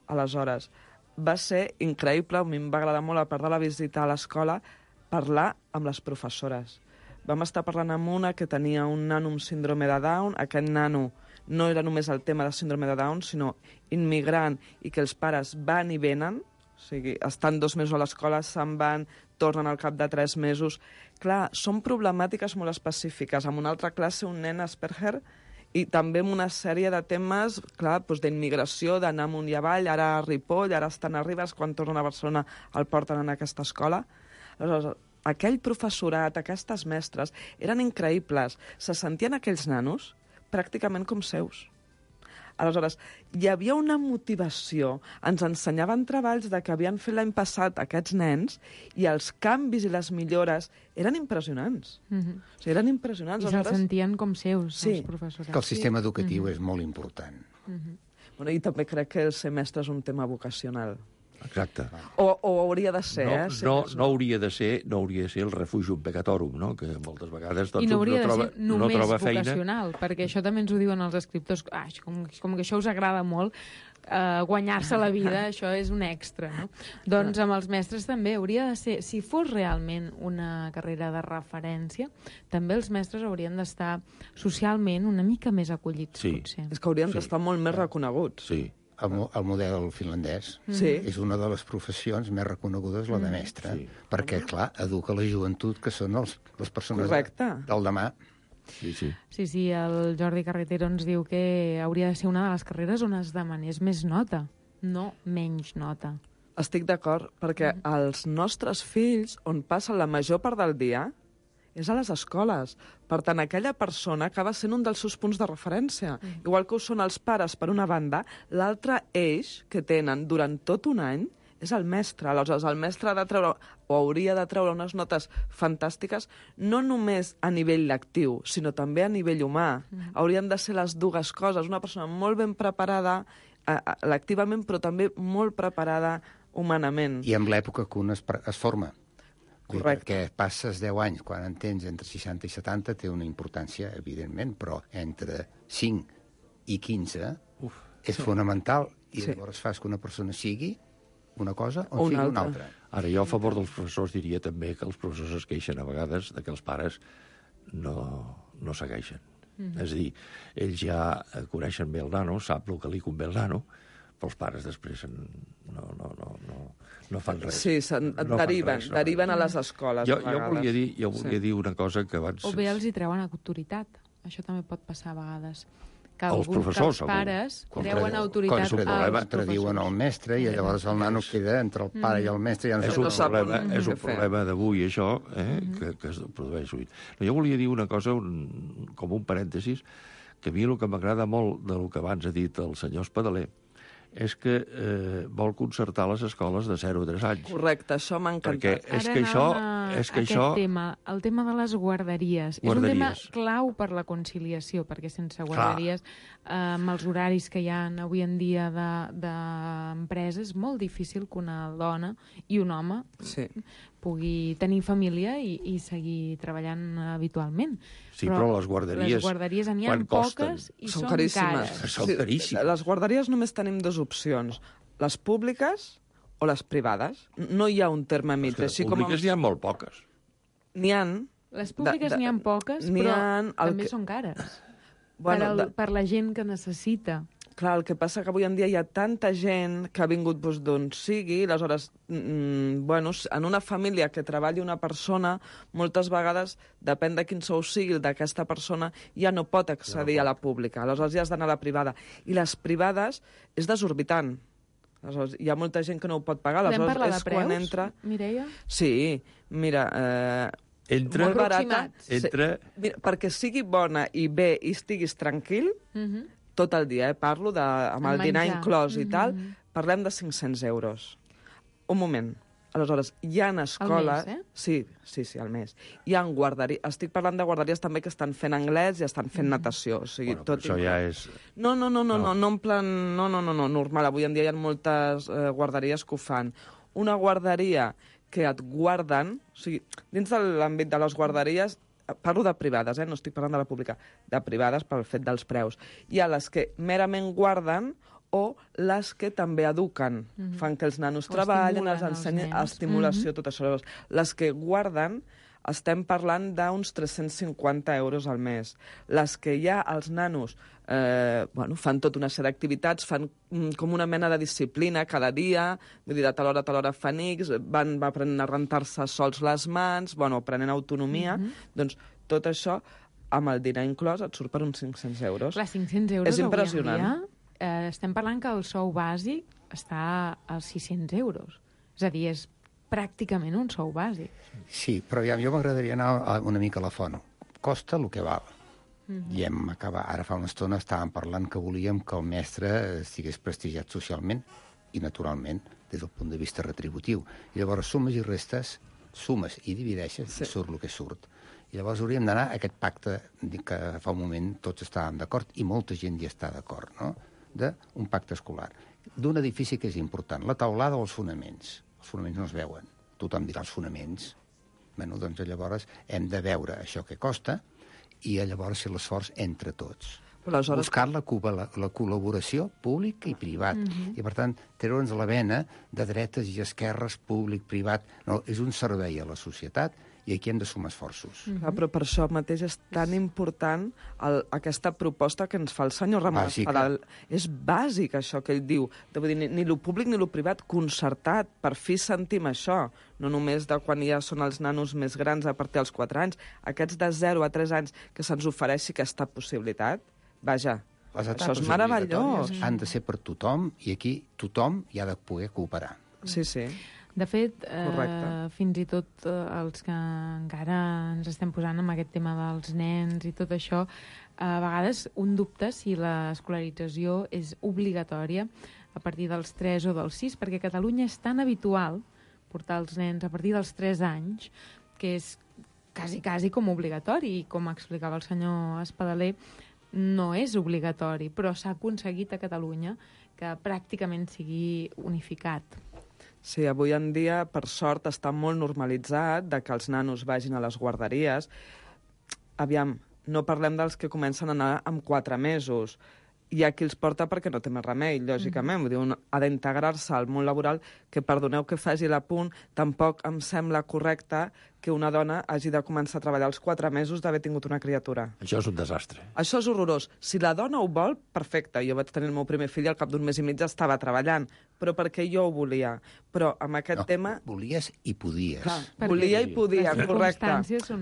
Aleshores, va ser increïble, a mi em va agradar molt, a part de la visita a l'escola, parlar amb les professores. Vam estar parlant amb una que tenia un nano amb síndrome de Down. Aquest nano no era només el tema de síndrome de Down, sinó immigrant, i que els pares van i venen, o sigui, estan dos mesos a l'escola, se'n van, tornen al cap de tres mesos. Clar, són problemàtiques molt específiques. En una altra classe, un nen Asperger, i també amb una sèrie de temes, clar, doncs d'immigració, d'anar amunt i avall, ara a Ripoll, ara estan a Ribes, quan tornen a Barcelona el porten en aquesta escola. Aleshores, aquell professorat, aquestes mestres, eren increïbles. Se sentien aquells nanos pràcticament com seus. Aleshores, hi havia una motivació. Ens ensenyaven treballs de que havien fet l'any passat aquests nens i els canvis i les millores eren impressionants. Mhm. O sigui, eren impressionants. I se'ls Aleshores... sentien com seus, Sí. els professors. Que el sistema Sí. educatiu Mhm. és molt important. Mhm. Bueno, I també crec que el ser mestre és un tema vocacional. Exacte. O, o hauria de ser, no, eh? Ser no, mestre. no, hauria de ser, no hauria de ser el refugio pecatorum, no? Que moltes vegades doncs, I no hauria no troba, de ser només no troba feina. vocacional, perquè això també ens ho diuen els escriptors. Ah, com, com que això us agrada molt, eh, guanyar-se la vida, això és un extra, no? Doncs amb els mestres també hauria de ser, si fos realment una carrera de referència, també els mestres haurien d'estar socialment una mica més acollits, Sí. potser. És que haurien Sí. d'estar molt més reconeguts. Sí. El, mo- el model finlandès Sí. és una de les professions més reconegudes, la de mestre, Sí. perquè, clar, educa la joventut, que són els, les persones Correcte. del demà. Sí, sí. Sí, sí, el Jordi Carretero ens diu que hauria de ser una de les carreres on es demanés més nota, no menys nota. Estic d'acord, perquè els nostres fills, on passen la major part del dia, és a les escoles. Per tant, aquella persona acaba sent un dels seus punts de referència. Mm. Igual que ho són els pares, per una banda, l'altre eix que tenen durant tot un any és el mestre. Aleshores, el mestre ha de treure, o hauria de treure unes notes fantàstiques, no només a nivell lectiu, sinó també a nivell humà. Mm. Haurien de ser les dues coses. Una persona molt ben preparada eh, lectivament, però també molt preparada humanament. I amb l'època que un es, pre- es forma. Correcte. Perquè passes deu anys, quan en tens entre seixanta i setanta, té una importància, evidentment, però entre cinc i quinze Uf, és sí. fonamental, i Sí. llavors fas que una persona sigui una cosa o, O o una sigui una altra. altra. Ara, jo a favor dels professors diria també que els professors es queixen a vegades de que els pares no, no segueixen. Mm. És a dir, ells ja coneixen bé el nano, sap el que li convé al nano, però els pares després en, no, no, no, no, no fan res. Sí, se'n no deriven, res, no deriven a les escoles. Jo, a jo vegades. volia, dir, jo volia Sí. dir una cosa que abans... O bé els hi treuen autoritat. Això també pot passar a vegades. Que, Els algú, professors, que els pares algú. treuen Contra- autoritat als Contradiuen professors. el mestre i llavors el nano queda entre el pare i el mestre. Ja no és sap un com- problema, és un què fer. problema d'avui, això, eh, que, que es produeix avui. No, jo volia dir una cosa, un, com un parèntesis, que a mi el que m'agrada molt del que abans ha dit el senyor Espadaler és que eh, vol concertar les escoles de zero a tres anys. Correcte, això m'ha encantat. Perquè és Ara que això... anàvem a És que aquest això... tema, el tema de les guarderies. Guarderies. És un tema clau per la conciliació, perquè sense guarderies, eh, amb els horaris que hi ha avui en dia d'empresa, de, és molt difícil que una dona i un home Sí. pugui tenir família i, i seguir treballant habitualment. Sí, però, però les guarderies... Les guarderies n'hi ha quan costen? poques i Són són, caríssimes. cares. Són caríssimes. Les guarderies només tenim dues opcions. Les públiques o les privades. No hi ha un terme mig. Les Així com públiques n'hi ha molt poques. N'hi ha... Les públiques de- n'hi ha poques, n'hi però ha el també que- són cares. Bueno, per, el, de- per la gent que necessita. Clar, el que passa que avui en dia hi ha tanta gent que ha vingut doncs, d'on sigui, aleshores, mm, bueno, en una família que treballi una persona, moltes vegades, depèn de quin sou sigui d'aquesta persona, ja no pot accedir a la pública, aleshores ja has d'anar a la privada. I les privades és desorbitant. Aleshores, hi ha molta gent que no ho pot pagar, Podem aleshores parlar de és quan preus, entra... Mireia? Sí, mira... Eh, Entra, molt barata, entra... sí, mira, perquè sigui bona i bé i estiguis tranquil, Mhm. tot el dia, eh? Parlo de, amb el Amb dinar menjar. inclòs i tal, Mhm. parlem de cinc-cents euros. Un moment. Aleshores, hi ha escoles... mes, eh? Sí, sí, sí, al mes. Hi ha guarderies... Estic parlant de guarderies també que estan fent anglès i estan fent natació. O sigui, Bueno, tot però això inclòs. ja és... No, no, no, no, No. no, no en plan... No, no, no, no, normal. Avui en dia hi ha moltes eh, guarderies que ho fan. Una guarderia que et guarden... O sigui, dins de l'àmbit de les guarderies, parlo de privades, eh? No estic parlant de la pública, de privades pel fet dels preus. Hi ha les que merament guarden o les que també eduquen. Mhm. Fan que els nanos O treballen, els estimulen els ensenyen, nens. estimulació, Mhm. tot això. Llavors, les que guarden estem parlant d'uns tres-cents cinquanta euros al mes. Les que ja els nanos eh, bueno, fan tota una sèrie d'activitats, fan mm, com una mena de disciplina cada dia, vull dir, de tal hora a tal hora fan X, van, van aprenent a rentar-se sols les mans, bueno, aprenent autonomia, Mhm. doncs tot això amb el dinar inclòs et surt per uns cinc-cents euros. Clar, cinc-cents euros És impressionant. avui en dia, eh, estem parlant que el sou bàsic està als sis-cents euros. És a dir, és pràcticament un sou bàsic. Sí, però ja, jo m'agradaria anar a una mica a la font. Costa el que val. I hem acabat, ara fa una estona estàvem parlant que volíem que el mestre estigués prestigiat socialment i naturalment des del punt de vista retributiu. I llavors sumes i restes, sumes i divideixes, sí. I surt el que surt. I llavors hauríem d'anar a aquest pacte que fa un moment tots estàvem d'acord i molta gent hi està d'acord, no? D'un pacte escolar. D'un edifici que és important, la taulada o els fonaments. Els fonaments no es veuen. Tothom dirà els fonaments. Bueno, doncs llavors hem de veure això que costa i llavors fer l'esforç entre tots. Aleshores... Buscar la, la, la col·laboració pública i privat. Mm-hmm. I, per tant, treure'ns la vena de dretes i esquerres, públic, privat. No, és un servei a la societat i aquí hem de sumar esforços. Mm-hmm. Clar, però per això mateix és tan important el, aquesta proposta que ens fa el senyor Ramon Espadal. És bàsic, això que ell diu. Vull dir, ni, ni lo públic ni lo privat, concertat. Per fi sentim això. No només de quan ja són els nanos més grans a partir dels quatre anys. Aquests de zero a tres anys que se'ns ofereixi aquesta possibilitat. Vaja, això és meravellós. Han de ser per tothom i aquí tothom hi ha de poder cooperar. Sí, sí. De fet, eh, fins i tot eh, els que encara ens estem posant amb aquest tema dels nens i tot això, a vegades un dubte si l'escolarització és obligatòria a partir dels tres o dels sis, perquè a Catalunya és tan habitual portar els nens a partir dels tres anys que és quasi, quasi com obligatori, i com explicava el senyor Espadaler, no és obligatori, però s'ha aconseguit a Catalunya que pràcticament sigui unificat. Sí, avui en dia, per sort, està molt normalitzat de que els nanos vagin a les guarderies. Aviam, no parlem dels que comencen a anar amb quatre mesos. Hi ha qui els porta perquè no té més remei, lògicament. Mm. Vull dir, un ha d'integrar-se al món laboral, que, perdoneu que faci l'apunt, tampoc em sembla correcte que una dona hagi de començar a treballar als quatre mesos d'haver tingut una criatura. Això és un desastre. Això és horrorós. Si la dona ho vol, perfecte. Jo vaig tenir el meu primer fill i al cap d'un mes i mig estava treballant, però perquè jo ho volia. Però amb aquest no, tema... Volies i podies. Clar, volia i podia, correcte.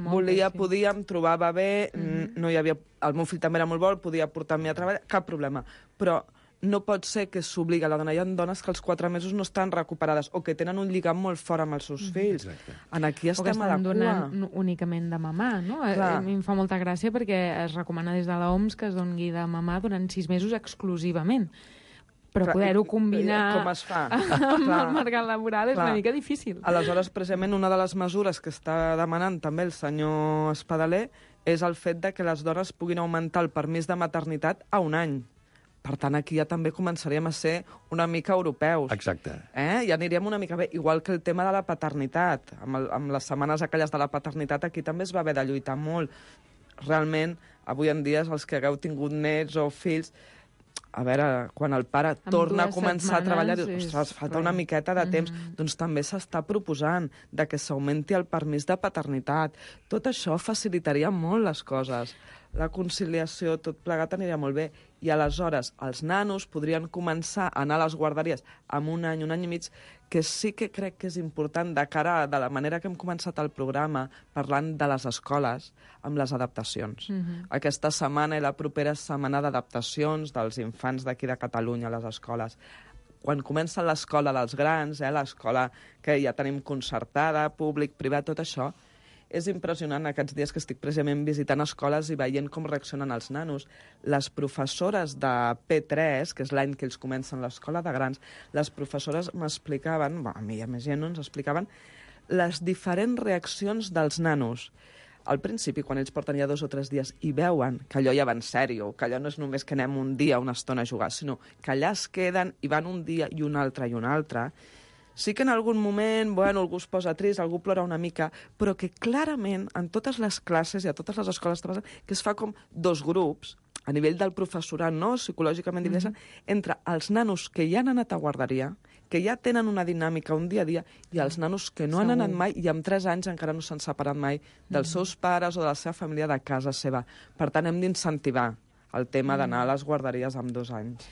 Volia, podia, em trobava bé, mm-hmm. no hi havia... El meu fill també era molt bo, podia portar-me a treballar, cap problema. Però no pot ser que s'obliga la dona. Hi ha dones que als quatre mesos no estan recuperades o que tenen un lligam molt fort amb els seus fills. Exacte. En aquí estem a la cua. O que estan donant únicament de mamar, no? Clar. A mi em fa molta gràcia perquè es recomana des de l'O M S que es doni de mamar durant sis mesos exclusivament. Però poder-ho combinar com es fa? amb el mercat laboral és Clar. Una mica difícil. Aleshores, precisament, una de les mesures que està demanant també el senyor Espadaler és el fet de que les dones puguin augmentar el permís de maternitat a un any. Per tant, aquí ja també començaríem a ser una mica europeus. Exacte. Eh? Ja aniríem una mica bé. Igual que el tema de la paternitat. Amb, el, amb les setmanes aquelles de la paternitat aquí també es va haver de lluitar molt. Realment, avui en dia, els que hagueu tingut nets o fills, a veure, quan el pare amb torna a començar a treballar, dius, ostres, falta una miqueta de temps, mm-hmm. doncs també s'està proposant de que s'augmenti el permís de paternitat. Tot això facilitaria molt les coses. La conciliació, tot plegat aniria molt bé. I aleshores els nanos podrien començar a anar a les guarderies amb un any, un any i mig, que sí que crec que és important de cara a de la manera que hem començat el programa, parlant de les escoles, amb les adaptacions. Mm-hmm. Aquesta setmana i la propera setmana d'adaptacions dels infants d'aquí de Catalunya a les escoles. Quan comença l'escola dels grans, eh, l'escola que ja tenim concertada, públic, privat, tot això, és impressionant aquests dies que estic precisament visitant escoles i veient com reaccionen els nanos. Les professores de P tres, que és l'any que ells comencen l'escola de grans, les professores m'explicaven, bueno, a mi i a més gent no ens explicaven, les diferents reaccions dels nanos. Al principi, quan ells porten ja dos o tres dies i veuen que allò ja va en sèrio, que allò no és només que anem un dia, una estona a jugar, sinó que allà es queden i van un dia i un altre i un altre. Sí que en algun moment, bueno, algú es posa trist, algú plora una mica, però que clarament en totes les classes i a totes les escoles que es fa com dos grups, a nivell del professorat, no? Psicològicament divideix, mm-hmm. entre els nanos que ja han anat a guarderia, que ja tenen una dinàmica, un dia a dia, i els nanos que no Segur. Han anat mai i amb tres anys encara no s'han separat mai dels mm-hmm. seus pares o de la seva família de casa seva. Per tant, hem d'incentivar el tema mm-hmm. d'anar a les guarderies amb dos anys.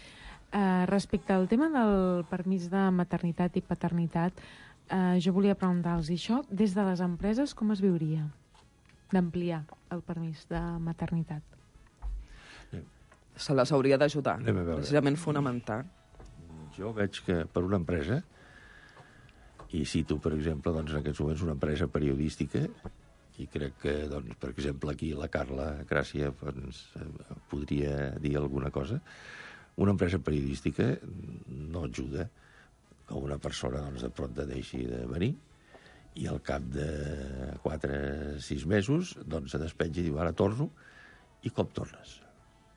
Uh, respecte al tema del permís de maternitat i paternitat, uh, jo volia preguntar-los, i això des de les empreses com es viuria d'ampliar el permís de maternitat? Se les hauria d'ajudar, precisament fonamental. Jo veig que per una empresa, i cito, per exemple, doncs, en aquests moments una empresa periodística, I crec que, doncs, per exemple, aquí la Carla Gràcia ens podria dir alguna cosa. Una empresa periodística no ajuda que una persona doncs, de pronta deixi de venir i al cap de quatre o sis mesos doncs, se despenja i diu, ara torno, i com tornes?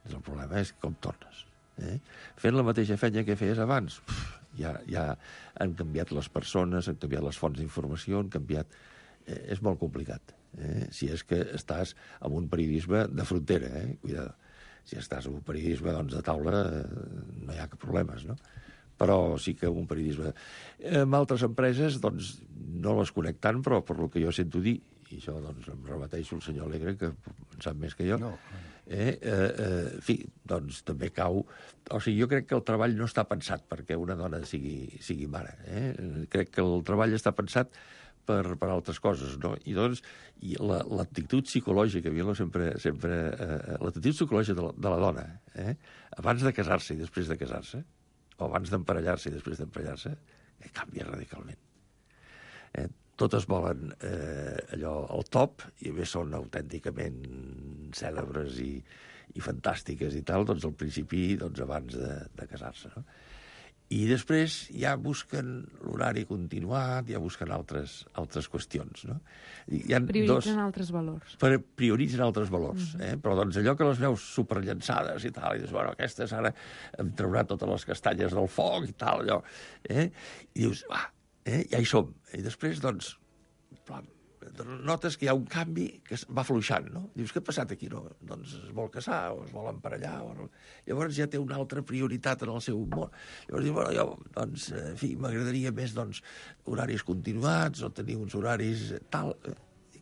El problema és com tornes. Eh? Fent la mateixa feina que feies abans, pff, ja, ja han canviat les persones, han canviat les fonts d'informació, han canviat... Eh, és molt complicat. Eh? Si és que estàs en un periodisme de frontera, eh? Cuidado. Si estàs en un periodisme doncs, de taula, eh, no hi ha cap problemes, no? Però sí que un periodisme... En altres empreses, doncs, no les conec tant, però per lo que jo sento dir, i això doncs, em remeteixo al senyor Alegre, que en sap més que jo, no. eh, eh, eh, en fi, doncs també cau... O sigui, jo crec que el treball no està pensat perquè una dona sigui, sigui mare. Eh? Crec que el treball està pensat per, per altres coses, no? I doncs, i l'actitud psicològica, a mi sempre, sempre eh, l'actitud psicològica de la, de la dona, eh? Abans de casar-se i després de casar-se, o abans d'emparellar-se i després d'emparellar-se, eh, canvia radicalment. Eh? Totes volen eh, allò al top, i a més són autènticament cèlebres i, i fantàstiques i tal, doncs al principi, doncs abans de, de casar-se, no? I després ja busquen l'horari continuat, ja busquen altres, altres qüestions, no? Hi ha prioritzen dos... altres valors. Per, prioritzen altres valors, Mm-hmm. eh? Però doncs allò que les veus superllançades i tal, i dius, bueno, aquestes ara em traurà totes les castanyes del foc i tal, allò, eh? I dius, va, eh? Ja hi som. I després, doncs, plan, notes que hi ha un canvi que va fluixant, no? Dius, què ha passat aquí? No? Doncs es vol casar o es vol emparellar. O no? Llavors ja té una altra prioritat en el seu món. Llavors diu, bueno, jo, doncs, en fi, m'agradaria més, doncs, horaris continuats o tenir uns horaris tal...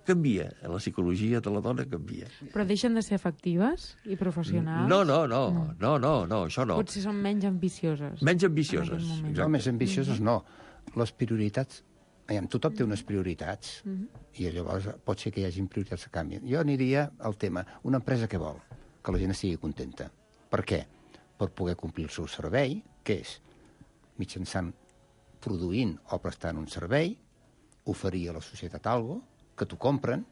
Canvia, la psicologia de la dona canvia. Però deixen de ser efectives i professionals? No, no, no, no, no, no, no això no. Potser són menys ambicioses. Menys ambicioses, no, més ambicioses no. Les prioritats... Aviam, tothom té unes prioritats Mm-hmm. i llavors pot ser que hi hagi prioritats que canvien. Jo aniria al tema, una empresa que vol? Que la gent estigui contenta. Per què? Per poder complir el seu servei, que és mitjançant produint o prestant un servei, oferir a la societat alguna cosa, que t'ho compren,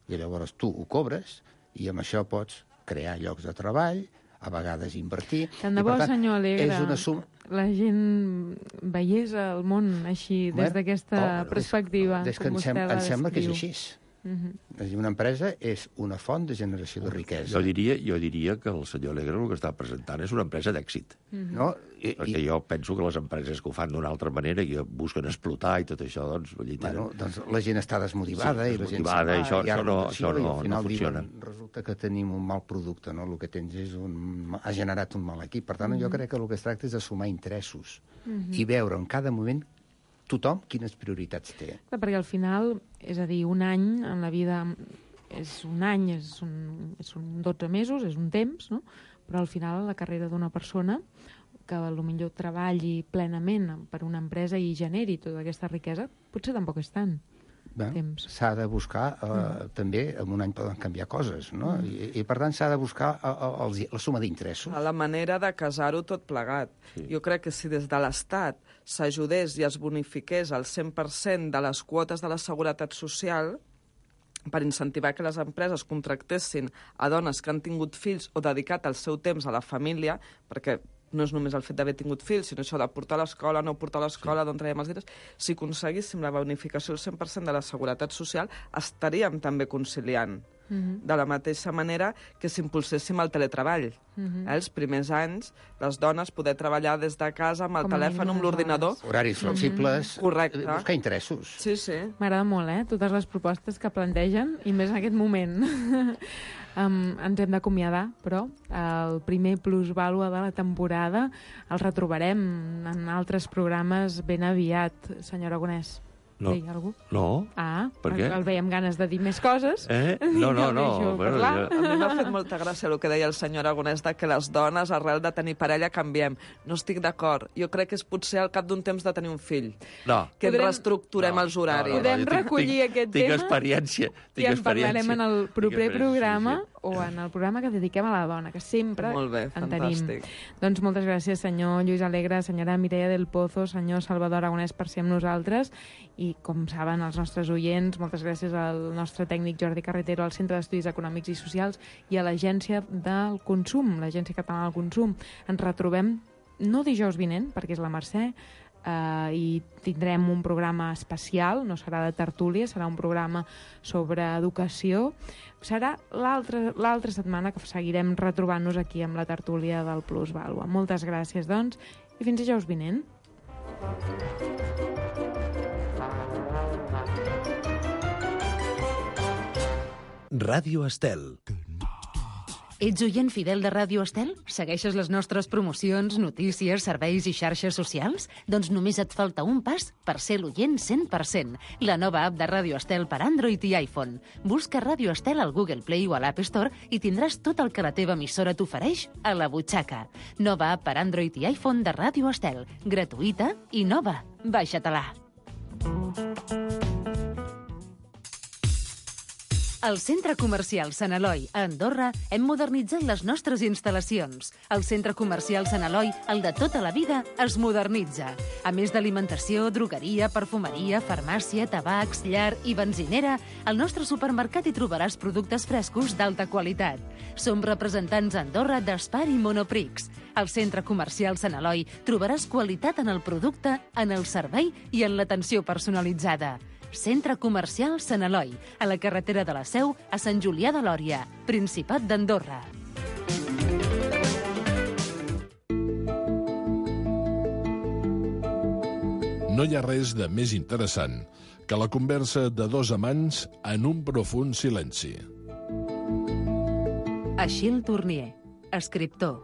i llavors tu ho cobres, i amb això pots crear llocs de treball, a vegades invertir... Tant de bo, senyor Alegre, és una suma... la gent veiés el món així, des d'aquesta oh, perspectiva, des que com em, vostè sem la em sembla que és descriu. així. Mm-hmm. És a dir, una empresa és una font de generació de riquesa. Jo diria, jo diria que el senyor Alegre el que està presentant és una empresa d'èxit. Mm-hmm. No? I, Perquè jo penso que les empreses que ho fan d'una altra manera i que busquen explotar i tot això, doncs... Vull dir, bueno, doncs la gent està desmotivada sí, i la gent desmotivada, se'n va, això, hi ha això no, rotació, això no, i al final no funciona. diuen, resulta que tenim un mal producte, no? El que tens és un... ha generat un mal equip. Per tant, Mm-hmm. jo crec que el que es tracta és de sumar interessos Mhm. i veure en cada moment tothom quines prioritats té. Clar, perquè al final, és a dir, un any en la vida és un any, és un, és un dotze mesos, és un temps, no? Però al final la carrera d'una persona que potser treballi plenament per una empresa i generi tota aquesta riquesa, potser tampoc és tant. S'ha de buscar, eh, mm. també, en un any poden canviar coses, no? Mm. I, I, per tant, s'ha de buscar eh, els, la suma d'interessos. A la manera de casar-ho tot plegat. Sí. Jo crec que si des de l'Estat s'ajudés i es bonifiqués el cent per cent de les quotes de la Seguretat Social per incentivar que les empreses contractessin a dones que han tingut fills o dedicat el seu temps a la família, perquè no és només el fet d'haver tingut fills, sinó això de portar a l'escola, no portar a l'escola, sí. D'on traiem els diners. Si aconseguíssim la bonificació del cent per cent de la Seguretat Social, estaríem també conciliant. Mm-hmm. De la mateixa manera que si impulséssim el teletreball. Mm-hmm. eh, els primers anys, les dones poder treballar des de casa amb el Com telèfon, amb l'ordinador. Horaris flexibles, mm-hmm. Correcte. Buscar interessos. Sí, sí. M'agrada molt, eh?, totes les propostes que plantegen, i més en aquest moment. um, ens hem d'acomiadar, però el primer plusvàlua de la temporada el retrobarem en altres programes ben aviat, senyor Aragonès. No. Deia algú? No. Ah, per què? El veiem ganes de dir més coses. Eh? No, no, no. Bueno, ja... A mi m'ha fet molta gràcia el que deia el senyor Aragonès de que les dones, arrel de tenir parella, canviem. No estic d'acord. Jo crec que és potser al cap d'un temps de tenir un fill. No. Que Podrem... reestructurem no, els horaris. No, no, no. Podem recollir tinc, aquest tinc tema experiència, tinc i en parlarem en el proper programa. o en el programa que dediquem a la dona, que sempre Molt bé, en tenim. fantàstic. Doncs moltes gràcies, senyor Lluís Alegre, senyora Mireia del Pozo, senyor Salvador Aragonès, per ser amb nosaltres. I, com saben els nostres oients, moltes gràcies al nostre tècnic Jordi Carretero, al Centre d'Estudis Econòmics i Socials i a l'Agència del Consum, l'Agència Catalana del Consum. Ens retrobem no dijous vinent, perquè és la Mercè, Uh, i tindrem un programa especial, no serà de tertúlia, serà un programa sobre educació. Serà l'altra setmana que seguirem retrobant-nos aquí amb la tertúlia del Plus Vàlua. Moltes gràcies, doncs, i fins dijous vinent. Ràdio Estel. Ets oient fidel de Ràdio Estel? Segueixes les nostres promocions, notícies, serveis i xarxes socials? Doncs només et falta un pas per ser l'oient cent per cent. La nova app de Ràdio Estel per Android i iPhone. Busca Ràdio Estel al Google Play o a l'App Store i tindràs tot el que la teva emissora t'ofereix a la butxaca. Nova app per Android i iPhone de Ràdio Estel. Gratuïta i nova. Baixa-te-la. Al Centre Comercial Sant Eloi, a Andorra, hem modernitzat les nostres instal·lacions. El Centre Comercial Sant Eloi, el de tota la vida, es modernitza. A més d'alimentació, drogueria, perfumeria, farmàcia, tabacs, llar i benzinera, al nostre supermercat hi trobaràs productes frescos d'alta qualitat. Som representants a Andorra d'Espar i Monoprix. Al Centre Comercial Sant Eloi trobaràs qualitat en el producte, en el servei i en l'atenció personalitzada. Centre Comercial Sant Eloi, a la carretera de la Seu, a Sant Julià de Lòria, Principat d'Andorra. No hi ha res de més interessant que la conversa de dos amants en un profund silenci. Achille Tournier, escriptor.